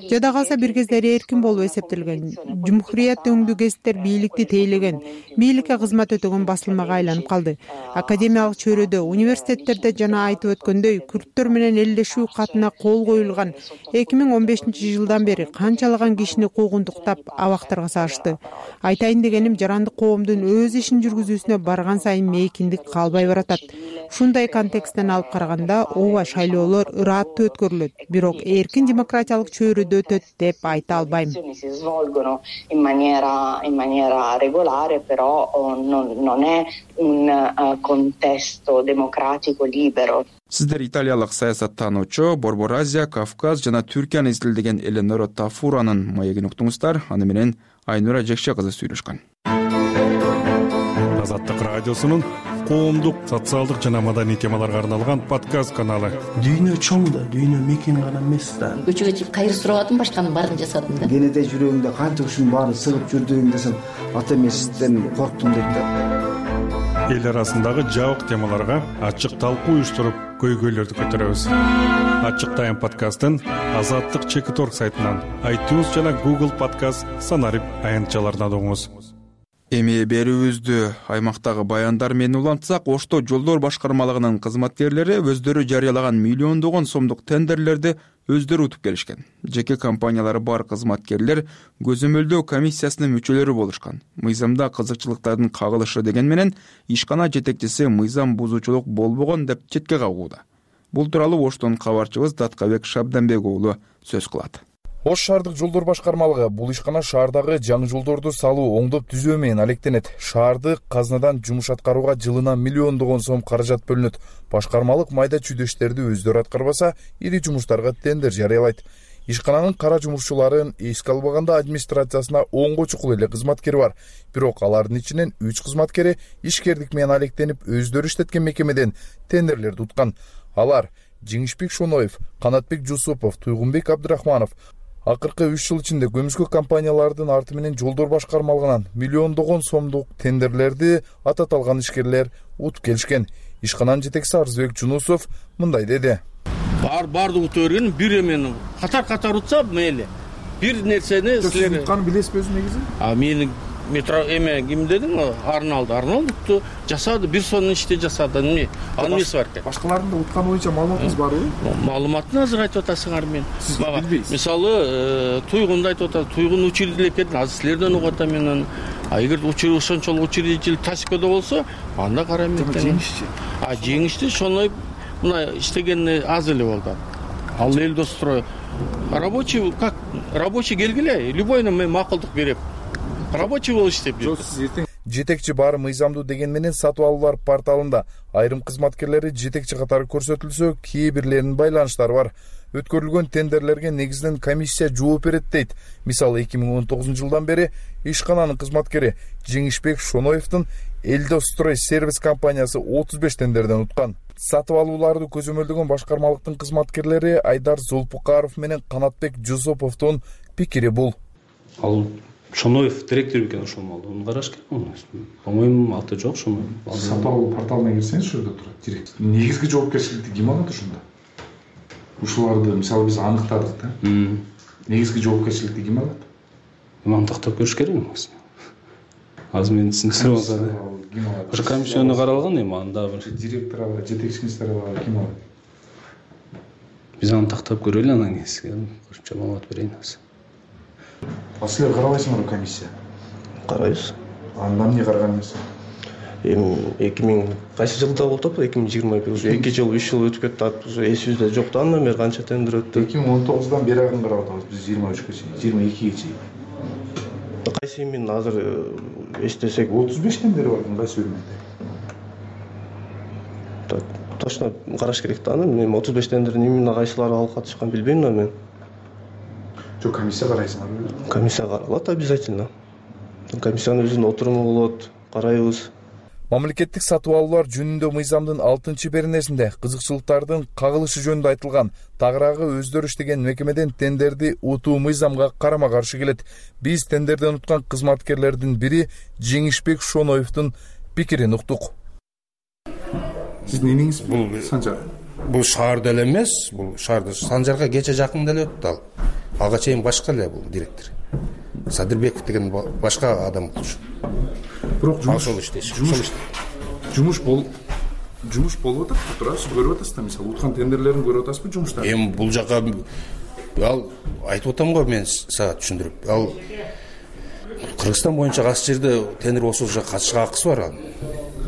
жада калса бир кездери эркин болуп эсептелген. Жумхурият өңдүү гезиттер бийликти тейлеген, бийликке кызмат өтөгөн басылмага айланып калды. Академиялык чөйрөдө, университеттерде жана айтып өткөндөй күрттөр менен элдешүү катына кол коюлган эки миң он бешинчи жылдан бери канчалаган кишини куугунтуктап абактарга салышты. Айтайын дегеним, жарандык коомдун өз ишин жүргүзүүсүнө барган сайын мейкиндик калбай баратат. Ушундай контексттен алып караганда, ооба, шайлоолор ырааттуу өткөрүлөт, бирок эркин демократиялык чөйрөдө өтөт деп айта албайм.
In maniera, in maniera regolare, però non, non è un uh, contesto democratico libero.
Сиздер италиялык саясаттануучу, Борбор Азия, Кавказ жана Түркияны изилдеген Эленора Тафуранын маегин уктуңуздар. Аны менен Айнура Жекше кызы сүйлөшкөн.
Азаттык радиосунун коомдук, социалдык жана маданий темаларга арналган подкаст каналы.
Дүйнө чоң да, дүйнө мекен гана эмес да.
Көчөгө чыгып кайыр сурабадым, башканын баарын жасадым да.
Кенеде жүрөгүңдө канча ушунун баары сыгып жүрдүгүң десем, ата эмесизден корктум дейт да.
Эл арасындагы жабык темаларга ачык талкуу уюштуруп, көйгөйлөрдү көтөрөбүз. Ачык тайм подкастын Азаттык чекит точка орг сайтынан, iTunes жана Google Podcast санарип аянтчаларынан угуңуз.
Эми берүүбүздү аймактагы баяндар менен улантсак, Ошто жолдор башкармалыгынын кызматкерлери өздөрү жарыялаган миллиондогон сомдук тендерлерди өздөрү утуп келишкен. Жеке компаниялары бар кызматкерлер көзөмөлдөө комиссиясынын мүчөлөрү болушкан. Мыйзамда кызыкчылыктардын кагылышы деген менен ишкана жетекчиси мыйзам бузуучулук болбогон деп четке кагууда. Бул тууралуу Оштон кабарчыбыз Даткабек Шабданбек уулу сөз кылат.
Ош шаардык жолдор башкармалыгы бул ишкана шаардагы жаңы жолдорду салуу, оңдоп түзөө менен алектенет. Шаардык казынадан жумуш аткарууга жылына миллиондогон сом каражат бөлүнөт. Башкармалык майда чүйдө иштерди өздөрү аткарбаса, ири жумуштарга тендер жарыялайт. Ишкананын кара жумушчуларын эске албаганда администрациясына онго чукул эле кызматкери бар. Бирок алардын ичинен үч кызматкери ишкердик менен алектенип, өздөрү иштеткен мекемеден тендерлерди уткан. Алар Жеңишбек Шоноев, Канатбек Жусупов, Туйгунбек Абдырахманов акыркы үч жыл ичинде көмүскө компаниялардын арты менен жолдор башкармалыгынан миллиондогон сомдук тендерлерди ата талган ишкерлер утуп келишкен. Ишкананын жетекчиси Арзбек Жунусов мындай деди.
Бар барды утуп берген, бир эмени катар-катар утса мейли. Бир нерсени силер
утканы билесизби өзү негизи?
А мени метро эме ким дедиң? Арналды, Арналды жасады, бир сонун ишти жасады. Эмне? Анын эмеси бар экен.
Башкалардын да утканы боюнча маалыматыңыз барбы?
Маалыматын азыр айтып атасыңар мен. Мисалы, Туйгунду айтып атат, Туйгун учредитель экен, азыр силерден угуп атам мен. А эгер учредитель ошончолук учредитель Тасикодо болсо, анда карайм мен.
Жеңишчи.
А жеңишти Шоноев мына иштегени аз эле болду. Ал Элдострой рабочий, как рабочий келгиле, любойуна мен макулдук берем. Рабочий болуп иштеп жүр.
Жетекчи бар мыйзамдуу деген менен сатып алуулар порталында айрым кызматкерлери жетекчи катары көрсөтүлсө, кээ бирлеринин байланыштары бар. Өткөрүлгөн тендерлерге негизинен комиссия жооп берет дейт. Мисалы эки миң он тогузунчу жылдан бери ишкананын кызматкери Жеңишбек Шоноевдин Элдострой сервис компаниясы отуз беш тендерден уткан. Сатып алууларды көзөмөлдөгөн башкармалыктын кызматкерлери Айдар Зулпукаров менен Канатбек Жусуповдун пикири бул.
Ал Шоноев директор экен ошол малды. Муну караш керек. По-моему, аты жок Шоноев.
Сатып алуу порталына кирсеңиз ошол жерде турат директор. Негизги жоопкерчиликти ким алат ошондо? Ушуларды мисалы биз аныктадык да. Негизги жоопкерчиликти ким алат?
Мантыктап көрүш керек эмес. Азыр мен түсүнүктүрүп атам. Ошо комиссияны каралган эми анда бир
директор алат, жетекчиңиздер алат, ким алат?
Биз аны тактап көрөлү, анан кийин кошумча маалымат берейин азыр.
А силер карабайсыңарбы комиссия?
Карайбыз.
Анда эмне караган эмес?
Эми эки миң кайсы жылда болуп атпы? эки миң жыйырма эки уже эки жыл, үч жыл өтүп кетти. Уже эсибизде жок да, андан бери канча тендер өттү?
эки миң он тогуздан бери арын карап атабыз биз жыйырма үчкө чейин, жыйырма экиге чейин.
Кайсы эмин азыр эстесек
отуз беш тендер бар, кайсы бөлмөдө?
Так, точно караш керек да аны. Мен отуз беш тендердин эмне кайсылары алып катышканын билбейм да мен.
Жок, комиссия карайсыңарбы?
Комиссия каралат обязательно. Комиссиянын өзүнүн отуруму болот, карайбыз.
Мамлекеттик сатып алуулар жөнүндө мыйзамдын алтынчы беренесинде кызыкчылыктардын кагылышы жөнүндө айтылган. Тагыраагы өздөрү иштеген мекемеден тендерди утуу мыйзамга карама каршы келет. Биз тендерден уткан кызматкерлердин бири Жеңишбек Шоноевдун пикирин уктук.
Сиздин энеңиз бул канча?
бул шаарда эле эмес, бул шаарда Санжарга кече жакын деле өттү ал. Ага чейин башка эле бул директор. Садырбеков деген башка адам болчу.
Бирок жумуш жумуш жумуш бол жумуш болуп атат, туурабы? Көрүп атасыз да, мисалы уткан тендерлерин көрүп атасызбы жумуштарды?
Эми бул жака ал айтып атам го, мен сага түшүндүрүп. Ал Кыргызстан боюнча кайсы жерде тендер ошол жака катышка акысы бар ал.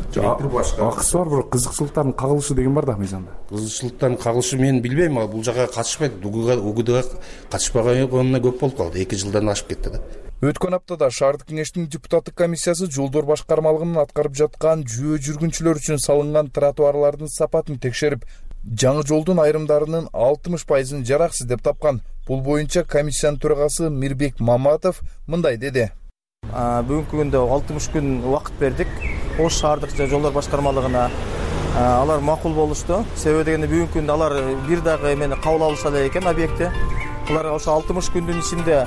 Акысы бар, бирок кызыкчылыктардын кагылышы деген бар да мыйзамда.
Кызыкчылыктардын кагылышы мен билбейм, ал бул жака катышпайт. УГДга катышпаганына көп болуп калды. эки жылдан ашып кетти да.
Өткөн аптада шаардык кеңештин депутаттык комиссиясы жолдор башкармалыгынын аткарып жаткан жөө жүргүнчүлөр үчүн салынган тротуарлардын сапатын текшерип, жаңы жолдун айрымдарынын алтымыш пайызын жараксыз деп тапкан. Бул боюнча комиссиянын төрагасы Мирбек Маматов мындай деди.
Бүгүнкү күндө алтымыш күн убакыт бердик. Ош шаардык жолдор башкармалыгына алар макул болушту. Себеби дегенде бүгүнкү күндө алар бир дагы эмени кабыл алышса эле экен объектти. Алар ошо алтымыш күндүн ичинде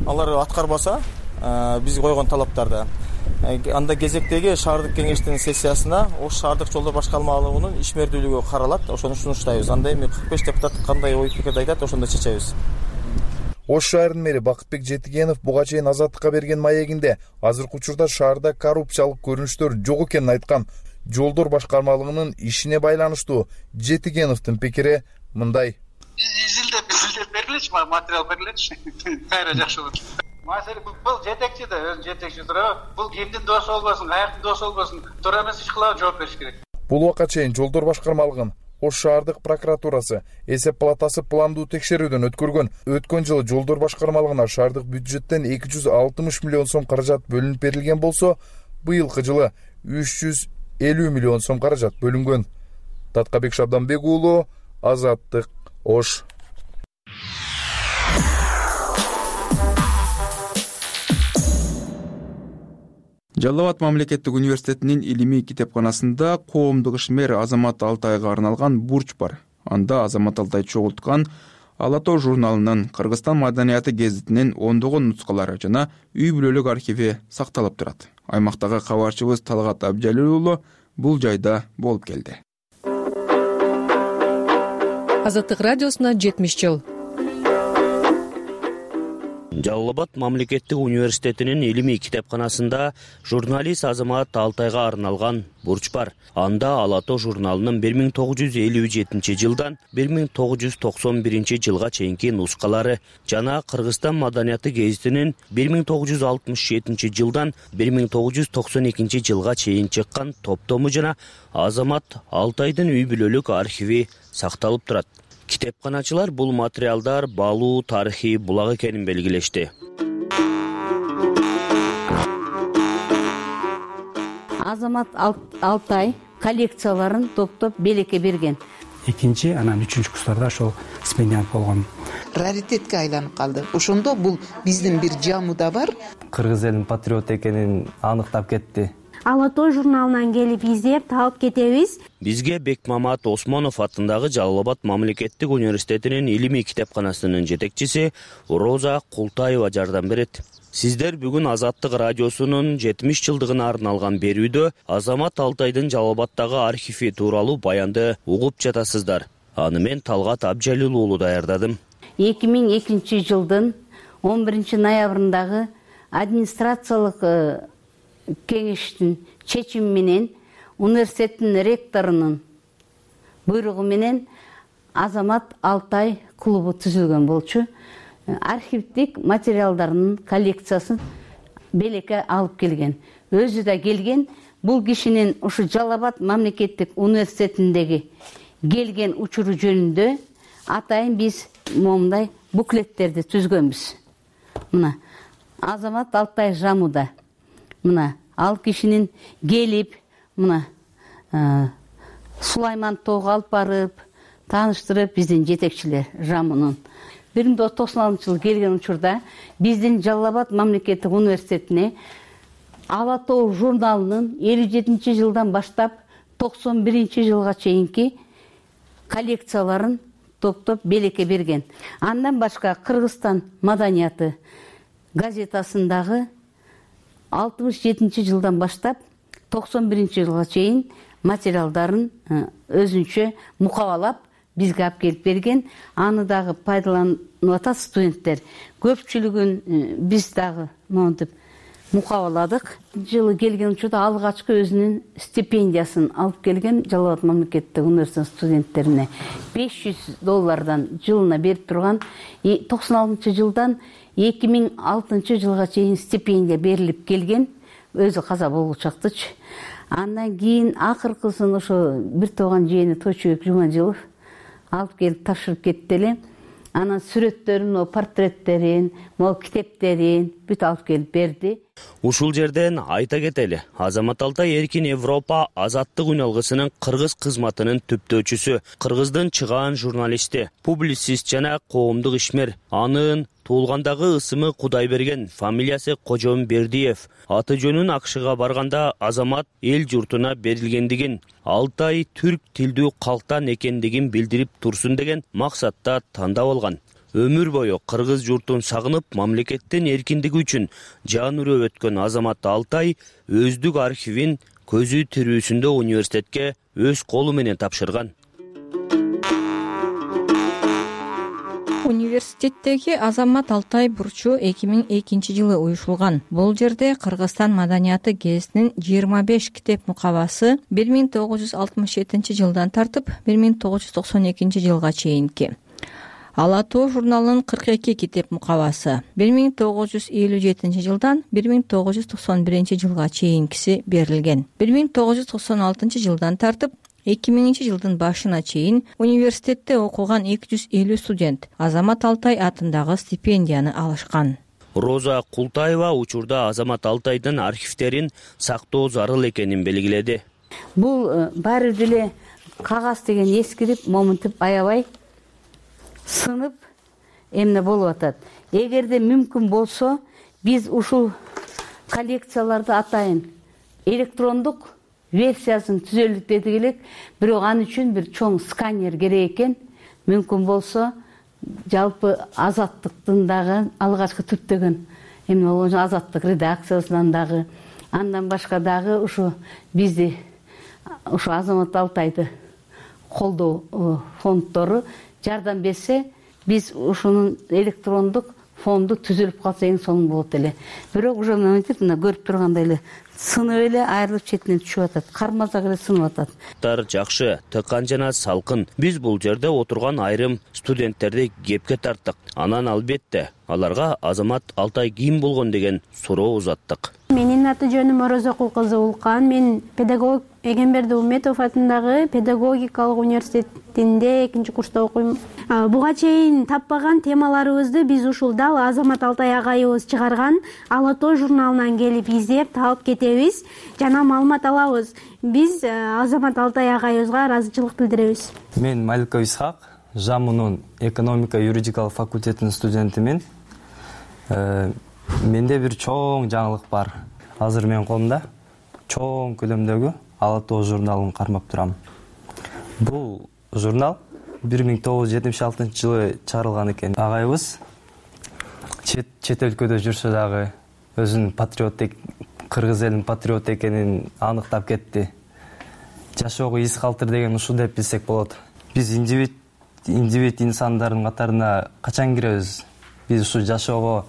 алар аткарбаса, биз койгон талаптарды, анда кезектеги шаардык кеңештин сессиясына Ош шаардык жолдор башкармалыгынын ишмердүүлүгү каралат. Ошону сунуштайбыз. Анда эми кырк беш депутат кандай ой пикирди айтат, ошондо чечебиз.
Ош шаарынын мэри Бакытбек Жетигенов буга чейин Азаттыкка берген маегинде азыркы учурда шаарда коррупциялык көрүнүштөр жок экенин айткан. Жолдор башкармалыгынын ишине байланыштуу Жетигеновдун пикири мындай.
Изилдеп изилдеп бериличи, материал бериличи. Кайра жакшы болот. Маселе бул жетекчи да, өзү жетекчи турабы? Бул кимдин досу болбосун, каяктын досу болбосун, туура эмес иш кылабы, жооп бериш керек.
Бул убакка чейин жолдор башкармалыгын Ош шаардык прокуратурасы эсеп палатасы пландуу текшерүүдөн өткөргөн. Өткөн жылы жолдор башкармалыгына шаардык бюджеттен эки жүз алтымыш миллион сом каражат бөлүнүп берилген болсо, быйылкы жылы үч жүз элүү миллион сом каражат бөлүнгөн. Таткабек Шабданбек уулу, Азаттык, Ош.
Жалал Абад мамлекеттик университетинин илимий китепканасында коомдук ишмер Азамат Алтайга арналган бурч бар. Анда Азамат Алтай чогулткан Ала тоо журналынын, Кыргызстан маданияты гезитинин ондогон нускалары жана үй бүлөлүк архиви сакталып турат. Аймактагы кабарчыбыз Талгат Абжалил уулу бул жайда болуп келди.
Азаттык радиосуна жетимиш жыл.
Жалал Абад мамлекеттик университетинин илимий китепканасында журналист Азамат Алтайга арналган бурч бар. Анда Ала тоо журналынын бир миң тогуз жүз элүү жетинчи жылдан бир миң тогуз жүз токсон биринчи жылга чейинки нускалары жана Кыргызстан маданияты гезитинин бир миң тогуз жүз алтымыш жетинчи жылдан бир миң тогуз жүз токсон экинчи жылга чейин чыккан топтому жана Азамат Алтайдын үй бүлөлүк архиви сакталып турат. Китепканачылар бул материалдар баалуу тарыхый булак экенин белгилешти.
Азамат Алтай коллекцияларын топтоп белекке берген.
Экинчи, анан үчүнчү курстарда ошол стипендиант болгон.
Раритетке айланып калды. Ошондо бул биздин бир жамы да бар.
Кыргыз элинин патриот экенин аныктап кетти.
Ала тоо журналынан келип издеп таап кетебиз.
Бизге Бекмамат Осмонов атындагы Жалал Абад мамлекеттик университетинин илимий китепканасынын жетекчиси Роза Култаева жардам берет. Сиздер бүгүн Азаттык радиосунун жетимиш жылдыгына арналган берүүдө Азамат Алтайдын Жалал Абаддагы архиви тууралуу баянды угуп жатасыздар. Аны мен Талгат Абжалил уулу даярдадым.
эки миң экинчи жылдын он биринчи ноябрындагы администрациялык кеңештин чечими менен университеттин ректорунун буйругу менен Азамат Алтай клубу түзүлгөн болчу. Архивдик материалдарынын коллекциясын белекке алып келген. Өзү да келген. Бул кишинин ушу Жалал Абад мамлекеттик университетиндеги келген учуру жөнүндө атайын биз момундай буклеттерди түзгөнбүз. Мына Азамат Алтай жамуда. Мына ал кишинин келип, мына Сулайман тоого алып барып, тааныштырып биздин жетекчилер жамынын. бир миң тогуз жүз токсон алтынчы жылы келген учурда биздин Жалал Абад мамлекеттик университетине Ала тоо журналынын элүү жетинчи жылдан баштап токсон биринчи жылга чейинки коллекцияларын топтоп белекке берген. Андан башка Кыргызстан маданияты газетасындагы алтымыш жетинчи жылдан баштап токсон биринчи жылга чейин материалдарын өзүнчө мукабалап бизге алып келип берген. Аны дагы пайдаланып атат студенттер. Көпчүлүгүн биз дагы монтип мукабаладык. Жылы келген учурда алгачкы өзүнүн стипендиясын алып келген Жалал Абад мамлекеттик университетинин студенттерине беш жүз доллардан жылына берип турган. токсон алтынчы жылдан эки миң алтынчы жылга чейин стипендия берилип келген. Өзү каза болгучактычы. Андан кийин акыркысын ошо бир тууган жээни Тойчубек Жумажылов алып келип тапшырып кетти эле. Анан сүрөттөрүн, портреттерин, могу китептерин бүт алып келип берди.
Ушул жерден айта кетели, Азамат Алтай Эркин Европа азаттык үналгысынын кыргыз кызматынын түптөөчүсү, кыргыздын чыгаан журналисти, публицист жана коомдук ишмер. Анын туулгандагы ысымы Кудайберген, фамилиясы Кожомбердиев. Аты жөнүн Акшыга барганда Азамат эл журтуна берилгендигин, Алтай түрк тилдүү калктан экендигин билдирип турсун деген максатта тандап алган. Өмүр бою кыргыз журтун сагынып, мамлекеттин эркиндиги үчүн жан үрөп өткөн Азамат Алтай өздүк архивин көзү тирүүсүндө университетке өз колу менен тапшырган.
Университеттеги Азамат Алтай бурчу эки миң экинчи жылы уюшулган. Бул жерде Кыргызстан маданияты гезитинин жыйырма беш китеп мукабасы бир миң тогуз жүз алтымыш жетинчи жылдан тартып бир миң тогуз жүз токсон экинчи жылга чейинки. Ала тоо журналынын кырк эки китеп мукабасы бир миң тогуз жүз элүү жетинчи жылдан бир миң тогуз жүз токсон биринчи жылга чейинкиси берилген. бир миң тогуз жүз токсон алтынчы жылдан тартып эки миңинчи жылдын башына чейин университетте окуган эки жүз элүү студент Азамат Алтай атындагы стипендияны алышкан.
Роза Култаева учурда Азамат Алтайдын архивтерин сактоо зарыл экенин белгиледи.
Бул баары деле кагаз деген эскирип, момунтип аябай сынып эмне болуп атат. Эгерде мүмкүн болсо, биз ушул коллекцияларды атайын электрондук версиясын түзөлүп дедик элек, бирок ал үчүн бир чоң сканер керек экен. Мүмкүн болсо, жалпы азаттыктын дагы алгачкы түптөгөн эмне болгон азаттык редакциясынан дагы, андан башка дагы ушу бизди ушу Азамат Алтайды колдоо фонддору жардам берсе, биз ушунун электрондук фонду түзүлүп калса эң сонун болот эле. Бирок уже мынтип мына көрүп тургандай эле сынып эле айрылып четинен түшүп атат. Кармазак эле сынып атат.
Тар жакшы, тыккан жана салкын. Биз бул жерде отурган айрым студенттерди кепке тарттык. Анан албетте аларга Азамат Алтай ким болгон деген суроо узаттык.
Менин аты жөнүм Орозокул кызы Улкан. Мен педагог Эгемберди Уметов атындагы педагогикалык университетинде экинчи курста окуйм. Буга чейин таппаган темаларыбызды биз ушул дал Азамат Алтай агайыбыз чыгарган Ала тоо журналынан келип издеп таап кетебиз жана маалымат алабыз. Биз Азамат Алтай агайыбызга ыраазычылык билдиребиз.
Мен Маликов Исхак, ЖАМУнун экономика юридикалык факультетинин студентимин. Менде бир чоң жаңылык бар. Азыр менин колумда чоң көлөмдөгү Ала тоо журналын кармап турам. Бул журнал бир миң тогуз жүз жетимиш алтынчы жылы чыгарылган экен. Агайыбыз чет чет өлкөдө жүрсө дагы өзүнүн патриот, кыргыз элинин патриот экенин аныктап кетти. Жашоого из калтыр деген ушул деп билсек болот. Биз индивид индивид инсандардын катарына качан киребиз? Биз ушу жашоого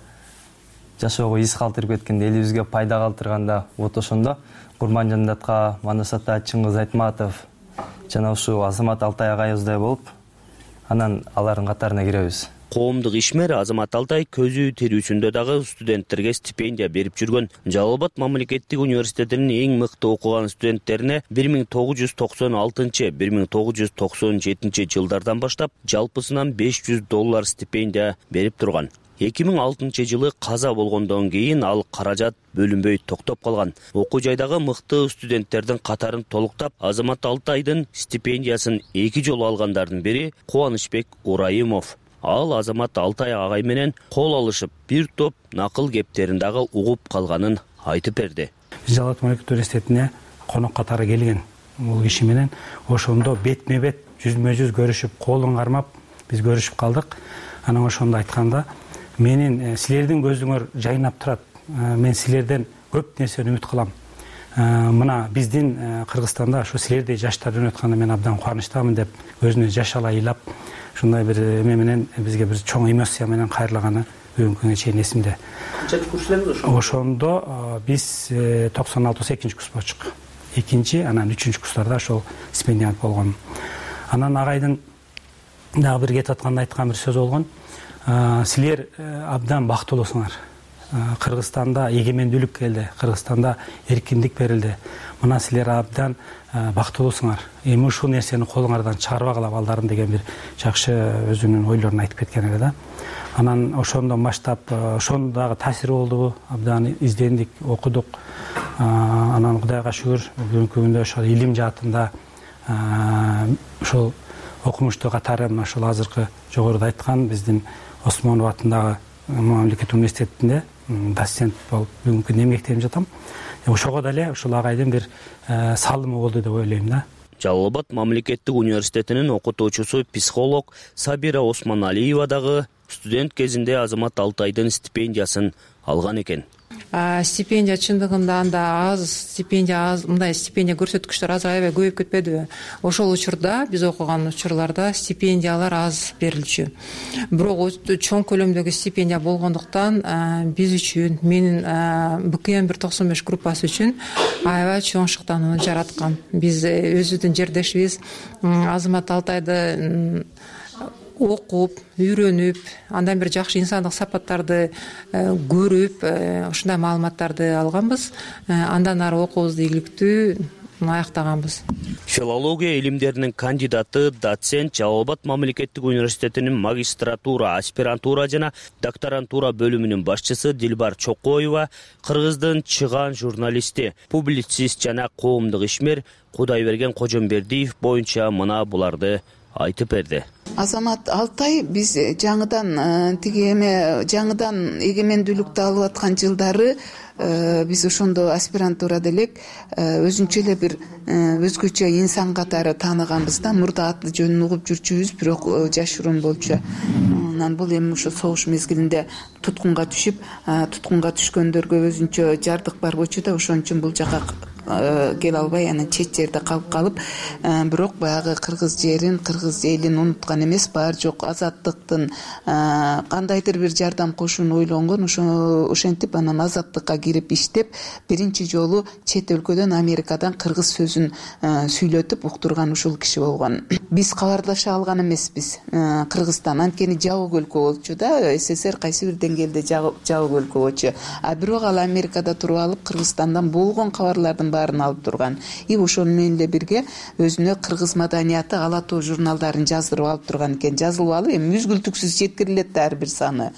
жашоого из калтырып кеткен, элибизге пайда калтырганда вот ошондо Курманжандатка, Манас ата, Чыңгыз Айтматов жана ушу Азамат Алтай агайыбыздай болуп, анан алардын катарына киребиз.
Коомдук ишмер Азамат Алтай көзү тирүүсүндө дагы студенттерге стипендия берип жүргөн. Жалал Абад мамлекеттик университетинин эң мыкты окуган студенттерине бир миң тогуз жүз токсон алтынчы — бир миң тогуз жүз токсон жетинчи жылдардан баштап жалпысынан беш жүз доллар стипендия берип турган. эки миң алтынчы жылы каза болгондон кийин ал каражат бөлүнбөй токтоп калган. Окуу жайдагы мыкты студенттердин катарын толуктап, Азамат Алтайдын стипендиясын эки жолу алгандардын бири Кубанычбек Урайымов. Ал Азамат Алтай агай менен кол алышып, бир топ накыл кептерин дагы угуп калганын айтып берди.
Жалал Абад мамлекеттик университетине конок катары келген. Бул киши менен ошондо бетме-бет, жүзмө-жүз көрүшүп, колун кармап биз көрүшүп калдык. Анан ошондо айтканда, менин силердин көзүңөр жайнап турат. Мен силерден көп нерсени үмүт кылам. мына биздин Кыргызстанда ушу силердей жаштар өнүп атканда мен абдан кубанычтамын деп өзүнө жаш ала ыйлап ушундай бир эме менен бизге бир чоң эмоция менен кайрылаганы бүгүнкү күнгө чейин эсимде.
Канча курс элеңиз ошондо?
Ошондо биз токсон алтыбыз экинчи курс болчук. Экинчи, анан үчүнчү курстарда ошол стипендиант болгон. Анан агайдын дагы бир кетип атканда айткан бир сөзү болгон. Силер абдан бактылуусуңар. Кыргызстанда эгемендүүлүк келди, Кыргызстанда эркиндик берилди. Мына силер абдан бактылуусуңар. Эми ушул нерсени колуңардан чыгарбагыла балдарым деген бир жакшы өзүнүн ойлорун айтып кеткен эле да. Анан ошондон баштап ошондо дагы таасири болдубу? Абдан издендик, окудук. Анан Кудайга шүгүр бүгүнкү күндө ошол илим жаатында ошол окумуштуу катары мына ушул азыркы жогоруда айткан биздин Осмонов атындагы мамлекеттик университетинде доцент болуп бүгүнкү күндө эмгектенип жатам. Ошого деле ушул агайдын бир салымы болду деп ойлойм да.
Жалал Абад мамлекеттик университетинин окутуучусу психолог Сабира Осмоналиева дагы студент кезинде Азамат Алтайдын стипендиясын алган экен.
Стипендия чындыгында анда аз, стипендия аз, мындай стипендия көрсөткүчтөр азыр аябай көбөйүп кетпедиби? Ошол учурда, биз окуган учурларда стипендиялар аз берилчү. Бирок чоң көлөмдөгү стипендия болгондуктан биз үчүн, менин Б К М бир токсон беш группасы үчүн аябай чоң шыктанууну жараткан. Биз өзүбүздүн жердешибиз Азамат Алтайды окуп, үйрөнүп, андан бир жакшы инсандык сапаттарды көрүп, ушундай маалыматтарды алганбыз. Андан ары окуубузду ийгиликтүү аяктаганбыз.
Филология илимдеринин кандидаты, доцент, Жалал Абад мамлекеттик университетинин магистратура, аспирантура жана докторантура бөлүмүнүн башчысы Дилбар Чокоева Кыргыздын чыган журналисти, публицист жана коомдук ишмер Кудайберген Кожомбердиев боюнча мына буларды айтып берди.
Азамат Алтай биз жаңыдан тиги эме жаңыдан эгемендүүлүктү алып аткан жылдары биз ошондо аспирантурада элек өзүнчө эле бир өзгөчө инсан катары тааныганбыз да. Мурда аты жөнүн угуп жүрчүбүз, бирок жашыруун болчу. Анан бул эми ошо согуш мезгилинде туткунга түшүп, туткунга түшкөндөргө өзүнчө жардык бар болчу да, ошон үчүн бул жака келе албай анан чет жерде калып калып, бирок баягы кыргыз жерин, кыргыз элин унуткан эмес, бар жок азаттыктын кандайдыр бир жардам кошууну ойлонгон. Ошо ошентип анан азаттыкка кирип иштеп, биринчи жолу чет өлкөдөн, Америкадан кыргыз сөзүн сүйлөтүп уктурган ушул киши болгон. Биз кабарлаша алган эмеспиз Кыргызстан, анткени жабык өлкө болчу да, С С Р кайсы бир деңгээлде жабык өлкө болчу. А бирок ал Америкада туруп алып Кыргызстандан болгон кабарлардын баарын алып турган. И ошону менен эле бирге өзүнө кыргыз маданияты Ала тоо журналдарын жаздырып алып турган экен. Жазылып алып эми мүзгүлтүксүз жеткирилет да ар бир саны.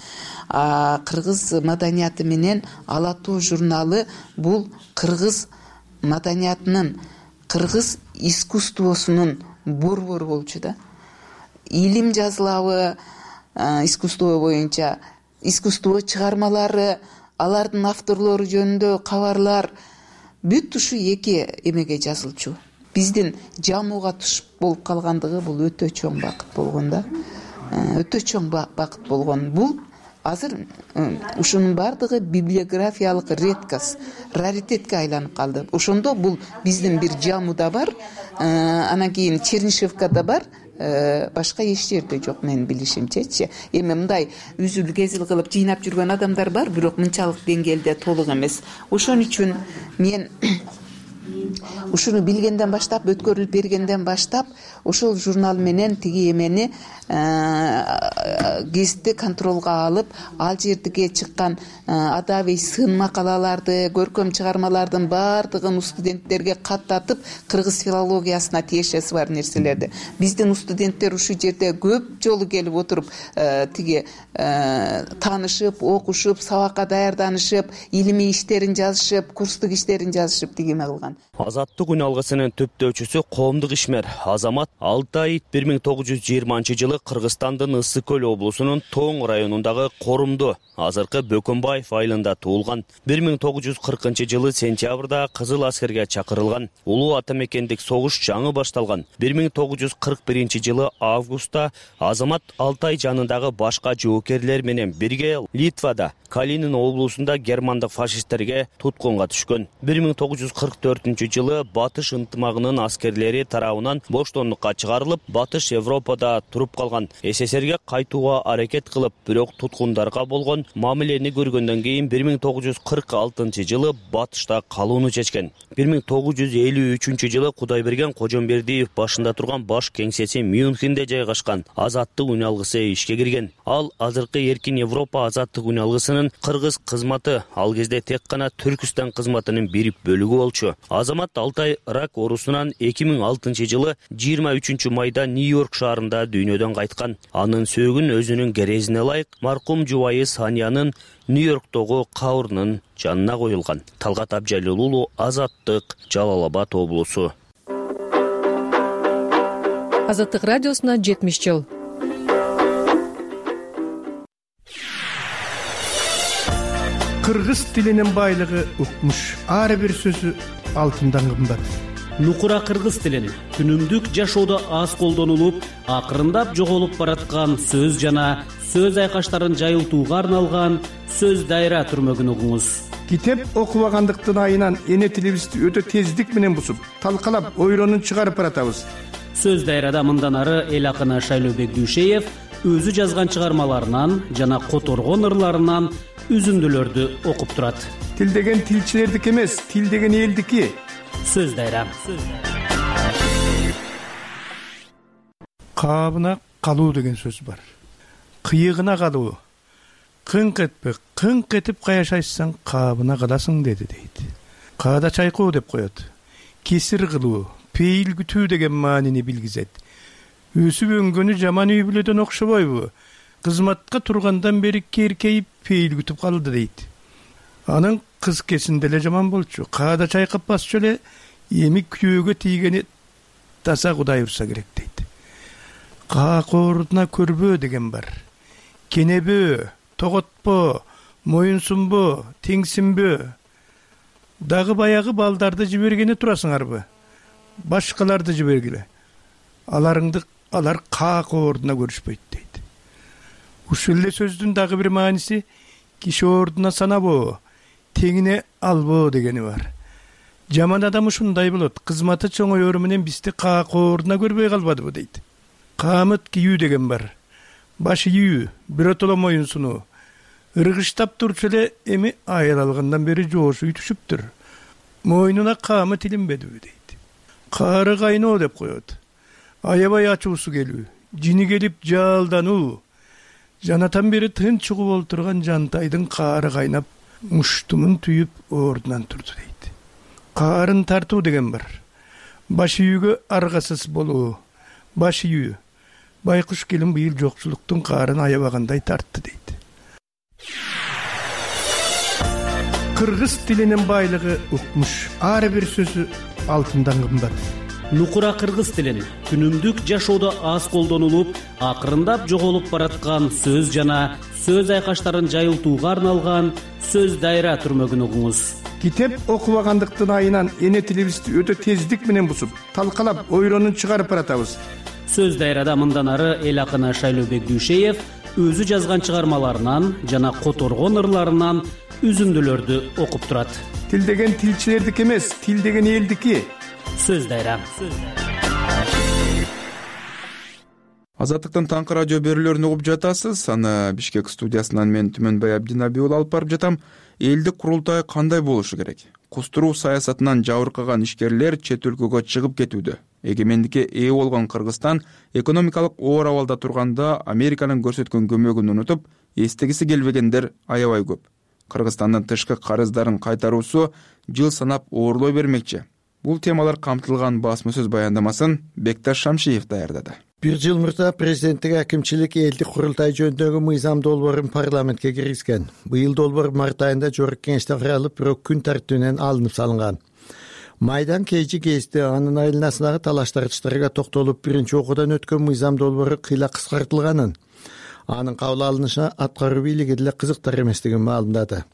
А кыргыз маданияты менен Ала тоо журналы бул кыргыз маданиятынын, кыргыз искусствосунун борбору болчу да. Илим жазылабы искусство боюнча, искусство чыгармалары, алардын авторлору жөнүндө кабарлар бүт ушу эки эмеге жазылчу. Биздин жамууга туш болуп калгандыгы бул өтө чоң бакыт болгон да. Өтө чоң бакыт болгон. Бул азыр ушунун бардыгы библиографиялык редкость, раритетке айланып калды. Ошондо бул биздин бир жамууда бар, анан кийин Чернышевкада бар, башка эч жерде жок менин билишимчечи. Эми мындай үзүл кезил кылып жыйнап жүргөн адамдар бар, бирок мынчалык деңгээлде толук эмес. Ошон үчүн мен ушуну билгенден баштап, өткөрүлүп бергенден баштап, ошол журнал менен тиги эмени гезитти контролго алып, ал жердеги чыккан адабий сын макалаларды, көркөм чыгармалардын баардыгын студенттерге каттатып, кыргыз филологиясына тиешеси бар нерселерди. Биздин студенттер ушул жерде көп жолу келип отуруп, тиги таанышып, окушуп, сабакка даярданышып, илимий иштерин жазышып, курстук иштерин жазышып тиги эме кылган.
Азаттык үн алгысынын түптөөчүсү коомдук ишмер Азамат Алтай бир миң тогуз жүз жыйырманчы жылы Кыргызстандын Ысык көл облусунун Тоң районундагы Корумду, азыркы Бөкөнбаев айылында туулган. бир миң тогуз жүз кыркынчы жылы сентябрда Кызыл аскерге чакырылган. Улуу ата мекендик согуш жаңы башталган. бир миң тогуз жүз кырк биринчи жылы августта Азамат Алтай жанындагы башка жоокерлер менен бирге Литвада Калинин облусунда германдык фашисттерге туткунга түшкөн. бир миң тогуз жүз кырк төртүнчү жылы Батыш ынтымагынын аскерлери тарабынан боштондукка чыгарылып, Батыш Европада туруп калган. СССРге кайтууга аракет кылып, бирок туткундарга болгон мамилени көргөндөн кийин бир миң тогуз жүз кырк алтынчы жылы Батышта калууну чечкен. бир миң тогуз жүз элүү үчүнчү жылы Кудайберген Кожомбердиев башында турган баш кеңсеси Мюнхенде жайгашкан Азаттык үн алгысы ишке кирген. Ал азыркы Эркин Европа азаттык үн алгысынын кыргыз кызматы, ал кезде тек гана Түркүстан кызматынын бир бөлүгү болчу. Азамат Алтай рак оорусунан эки миң алтынчы жылы жыйырма үчүнчү майда Нью-Йорк шаарында дүйнөдөн кайткан. Анын сөөгүн өзүнүн керезине ылайык маркум жубайы Саниянын Нью-Йорктогу кабрынын жанына коюлган. Талгат Абжалил уулу, Азаттык, Жалал Абад облусу.
Азаттык радиосуна жетимиш жыл.
Кыргыз тилинин байлыгы укмуш. Ар бир сөзү алтындан кымбат.
Нукура кыргыз тилин күнүмдүк жашоодо аз колдонулуп, акырындап жоголуп бараткан сөз жана сөз айкаштарын жайылтууга арналган сөз дайра түрмөгүн угуңуз.
Китеп окубагандыктын айынан эне тилибизди өтө тездик менен бусуп, талкалап, ойронун чыгарып баратабыз.
Сөз дайрада мындан ары эл акыны Шайлообек Дүйшеев өзү жазган чыгармаларынан жана которгон ырларынан үзүндүлөрдү окуп турат.
Тил деген тилчилердики эмес, тил деген элдики.
Сөз дайра.
Кабына калуу деген сөз бар. Кыйыгына калуу. Кыңк этпе, кыңк этип каяшайсаң, кабына каласың деди дейт. Каада чайкоо деп коет. Кесир кылуу, пейил күтүү деген маанини билгизет. Өсүп өнгөнү жаман үй бүлөдөн окшобойбу? Кызматка тургандан бери керкейип пейил күтүп калды дейт. Анын кыз кесинде эле жаман болчу. Каада чайкап басчу эле, эми күйөөгө тийгени таза Кудай урса керек дейт. Каакоордуна көрбөө деген бар. Кенебөө, тоготпо, моюнсунбо, теңсинбөө. Дагы баягы балдарды жибергени турасыңарбы? Башкаларды жибергиле. Аларыңды алар каакоордуна көрүшпөйт дейт. Ушул эле сөздүн дагы бир мааниси киши ордуна санабоо, теңине албоо дегени бар. Жаман адам ушундай болот. Кызматы чоңоёру менен бизди каакоордуна көрбөй калбадыбы дейт. Каамыт кийүү деген бар. Баш ийүү, биротоло моюнсунуу. Ыргыштап турчу эле эми аял алгандан бери жоошу түшүптүр. Мойнуна каамыт илинбедиби дейт. Каары кайноо деп коет. Аябай ачуусу келүү, жини келип жаалдануу. Жанатан бери тынч угуп олтурган жантайдын каары кайнап, муштумун түйүп ордунан турду дейт. Каарын тартуу деген бар. Баш ийүүгө аргасыз болуу. Баш ийүү. Байкуш келин быйыл жокчулуктун каарын аябагандай тартты дейт. Кыргыз тилинин байлыгы укмуш. Ар бир сөзү алтындан кымбат.
Нукура кыргыз тилин күнүмдүк жашоодо аз колдонулуп, акырындап жоголуп бараткан сөз жана сөз айкаштарын жайылтууга арналган сөз дайра түрмөгүн угуңуз.
Китеп окубагандыктын айынан эне тилибизди өтө тездик менен бусуп, талкалап, ойронун чыгарып баратабыз.
Сөз дайрада мындан ары эл акыны Шайлообек Дүйшеев өзү жазган чыгармаларынан жана которгон ырларынан үзүндүлөрдү окуп турат.
Тил деген тилчилердики эмес, тил деген элдики.
Сөз дайра.
Азаттыктын таңкы радио берүүлөрүн угуп жатасыз. Аны Бишкек студиясынан мен Түмөнбай Абдинабий уулу алып барып жатам. Элдик курултай кандай болушу керек? Кустуруу саясатынан жабыркаган ишкерлер чет өлкөгө чыгып кетүүдө. Эгемендикке ээ болгон Кыргызстан экономикалык оор абалда турганда Американын көрсөткөн көмөгүн унутуп, эстегиси келбегендер аябай көп. Кыргызстандын тышкы карыздарын кайтаруусу жыл санап оорлой бермекчи. Бул темалар камтылган басма сөз баяндамасын Бекташ Шамшиев даярдады.
Бир жыл мурда президенттик акимчилик элдик курултай жөнүндөгү мыйзам долбоорун парламентке киргизген. Быйыл долбоор март айында жогорку кеңеште каралып, бирок күн тартибинен алынып салынган. майдан keyji кезде анын айланасындагы талаш-тартыштарга токтолуп биринчи окуудан өткөн мыйзам долбоору кыйла кыскартылганын, анын кабыл алынышына аткаруу бийлиги деле кызыктар эместигин маалымдады.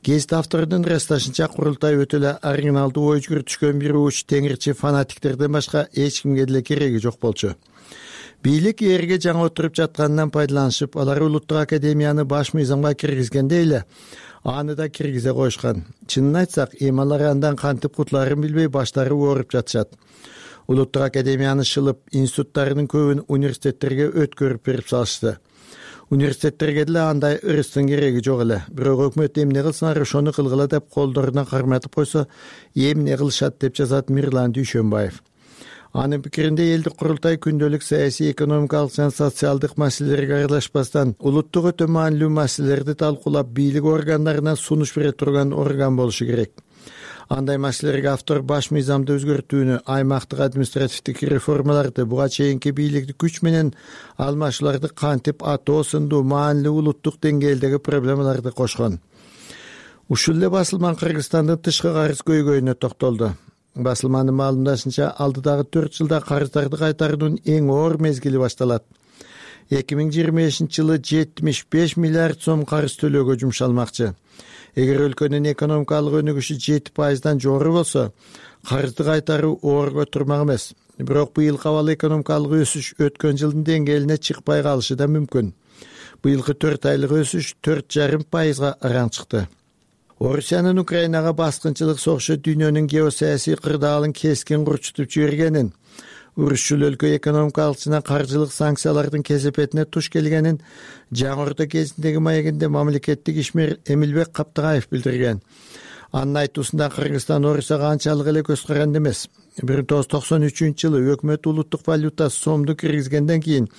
Гезит авторунун ырасташынча курултай өтө эле оригиналдуу ой жүгүртүшкөн бир уч теңирчи фанатиктерден башка эч кимге деле кереги жок болчу. Бийлик эрге жаңы отуруп жатканынан пайдаланышып, алар улуттук академияны баш мыйзамга киргизгенде эле аны да киргизе коюшкан. Чынын айтсак, эми алар андан кантип кутулаарын билбей баштары ооруп жатышат. Улуттук академияны шылып, институттарынын көбүн университеттерге өткөрүп берип салышты. Университеттерге деле андай ырыстын кереги жок эле. Бирок өкмөт эмне кылсыңар ошону кылгыла деп колдоруна карматып койсо, эмне кылышат деп жазат Мирлан Дүйшөнбаев. Анын пикиринде элдик курултай күндөлүк саясий, экономикалык жана социалдык маселелерге аралашпастан улуттук өтө маанилүү маселелерди талкуулап, бийлик органдарына сунуш бере турган орган болушу керек. Андай маселелерге автор баш мыйзамды өзгөртүүнү, аймактык административдик реформаларды, буга чейинки бийликти күч менен алмашууларды кантип атоо сындуу маанилүү улуттук деңгээлдеги проблемаларды кошкон. Ушул эле басылман Кыргызстандын тышкы карыз көйгөйүнө токтолду. Басылманын маалымдашынча, алдыдагы төрт жылда карыздарды кайтаруунун эң оор мезгили башталат. эки миң жыйырма бешинчи жылы жетимиш беш миллиард сом карыз төлөөгө жумшалмакчы. Эгер өлкөнүн экономикалык өнүгүшү жети пайыздан жогору болсо, карызды кайтаруу оорго турмак эмес. Бирок быйыл абал экономикалык өсүш өткөн жылдын деңгээлине чыкпай калышы да мүмкүн. Быйылкы төрт айлык өсүш төрт жарым пайызга араң чыкты. Орусиянын Украинага баскынчылык согушу дүйнөнүн геосаясий кырдаалын кескин курчутуп жибергенин, урушчул өлкө экономикалык жана каржылык санкциялардын кесепетине туш келгенин Жаңы Орто кезиндеги маегинде мамлекеттик ишмер Эмилбек Каптыгаев билдирген. Анын айтуусунда Кыргызстан Орусияга анчалык эле көз каранды эмес. бир миң тогуз жүз токсон үчүнчү жылы өкмөт улуттук валюта сомду киргизгенден кийин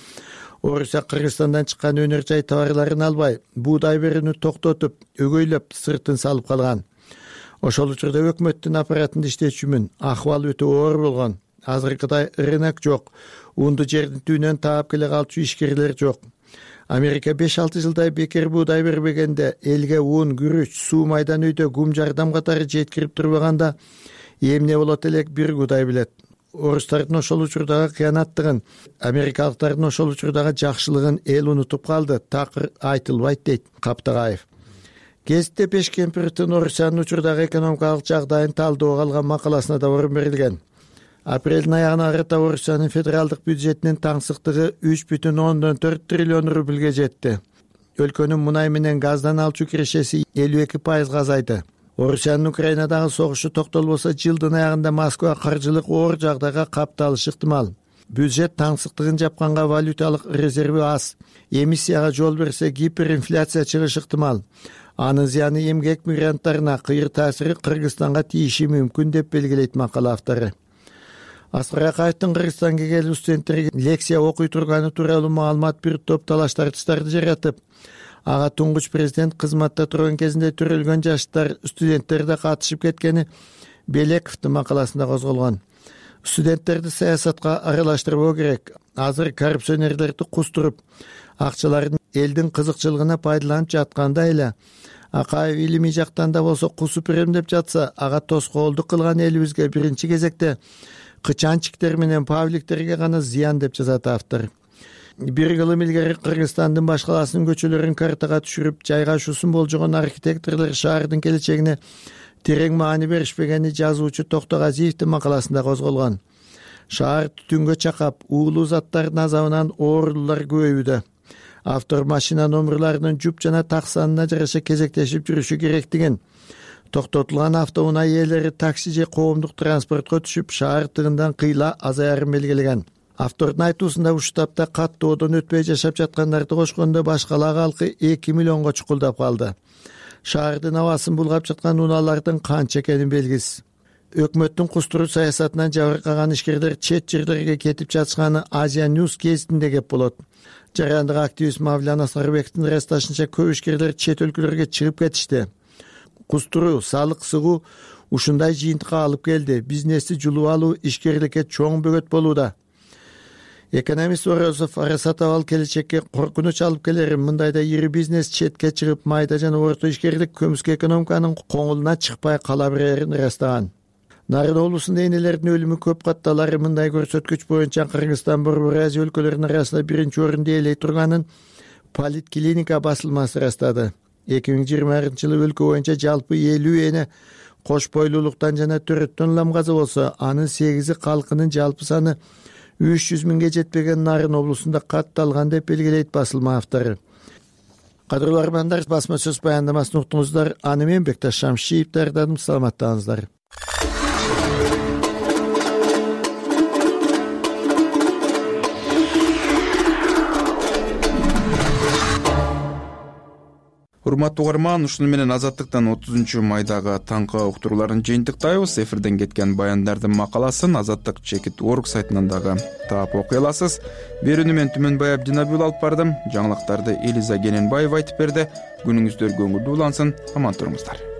Орусия Кыргызстандан чыккан өнөр жай товарларын албай, буудай берүүнү токтотуп, өгөйлөп сыртын салып калган. Ошол учурда өкмөттүн аппаратында иштечүмүн, ахыбал өтө оор болгон. Азыркыдай рынок жок, унду жердин түбүнөн таап келе калчу ишкерлер жок. Америка беш алты жылдай бекер буудай бербегенде, элге ун, күрүч, суу майдан үйдө гум жардам катары жеткирип турбаганда, эмне болот элек бир Кудай билет. Орустардын ошол учурдагы кыянаттыгын, америкалыктардын ошол учурдагы жакшылыгын эл унутуп калды, такыр айтылбайт дейт Каптыгаев. Гезитте Пешкемпировдун Орусиянын учурдагы экономикалык жагдайын талдоого алган макаласына да орун берилген. Апрелдин аягына карата Орусиянын федералдык бюджетинин таңсыктыгы үч бүтүн ондон төрт триллион рубльге жетти. Өлкөнүн мунай менен газдан алчу кирешеси элүү эки пайызга азайды. Орусиянын Украинадагы согушу токтолбосо, жылдын аягында Москва каржылык оор жагдайга капталышы ыктымал. Бюджет таңсыктыгын жапканга валюталык резерви аз. Эмиссияга жол берсе, гиперинфляция чыгышы ыктымал. Анын зыяны эмгек мигранттарына, кыйыр таасири Кыргызстанга тийиши мүмкүн деп белгилейт макала автору. Аскар Акаевдин Кыргызстанга келип студенттерге лекция окуй турганы тууралуу маалымат бир топ талаш-тартыштарды жаратып, ага туңгуч президент кызматта турган кезинде төрөлгөн жаштар студенттер да катышып кеткени Белековдун макаласында козголгон. Студенттерди саясатка аралаштырбоо керек. Азыр коррупционерлерди кустуруп, акчаларын элдин кызыкчылыгына пайдаланып жатканда эле Акаев илимий жактан да болсо кусуп берем деп жатса, ага тоскоолдук кылган элибизге биринчи кезекте кычанчиктер менен павликтерге гана зыян деп жазат автор. Бир кылым илгери Кыргызстандын баш каласынын көчөлөрүн картага түшүрүп, жайгашуусун болжогон архитекторлор шаардын келечегине терең маани беришпегени жазуучу Токтогазиевдин макаласында козголгон. Шаар түтүнгө чакап, уулуу заттардын азабынан оорулуулар көбөйүүдө. Автор машина номерларынын жуп жана так санына жараша кезектешип жүрүшү керектигин, токтотулган автоунаа ээлери такси же коомдук транспортко түшүп, шаар тыгындан кыйла азаярын белгилеген. Автордун айтуусунда ушул тапта каттоодон өтпөй жашап жаткандарды кошкондо баш кала калкы эки миллионго чукулдап калды. Шаардын абасын булгап жаткан унаалардын канча экени белгисиз. Өкмөттүн кустуруу саясатынан жабыркаган ишкерлер чет жерлерге кетип жатышканы Азия News гезитинде кеп болот. Жарандык активист Мавлян Аскарбековдун ырасташынча, көп ишкерлер чет өлкөлөргө чыгып кетишти. Кустуруу, салык сыгуу ушундай жыйынтыкка алып келди. Бизнести жулуп алуу ишкерликке чоң бөгөт болууда. Экономист Орозов арасат абал келечекке коркунуч алып келерин, мындайда ири бизнес четке чыгып, майда жана орто ишкерлик көмүскө экономиканын коңулуна чыкпай кала берерин ырастаган. Нарын облусунда энелердин өлүмү көп катталары мындай көрсөткүч боюнча Кыргызстан Борбор Азия өлкөлөрүнүн арасында биринчи орунду ээлей турганын Политклиника басылмасы ырастады. эки миң жыйырманчы жылы өлкө боюнча жалпы элүү эне кош бойлуулуктан жана төрөттөн улам каза болсо, анын сегизи калкынын жалпы саны үч жүз миңге жетпеген Нарын облусунда катталган деп белгилейт басылма автору. Кадырлуу армандар, басма сөз баяндамасын уктуңуздар. Аны мен Бекташ Шамшиев даярдадым. Саламаттаңыздар.
Урматтуу угарман, ушуну менен Азаттыктан отузунчу майдагы таңкы уктурууларын жыйынтыктайбыз. Эфирден кеткен баяндардын макаласын Азаттык чекит орг сайтынан дагы таап окуй аласыз. Берүүнү мен Түмөнбай Абдинабиул алып бардым. Жаңылыктарды Элиза Кененбаева айтып берди. Күнүңүздөр көңүлдүү улансын. Аман туруңуздар.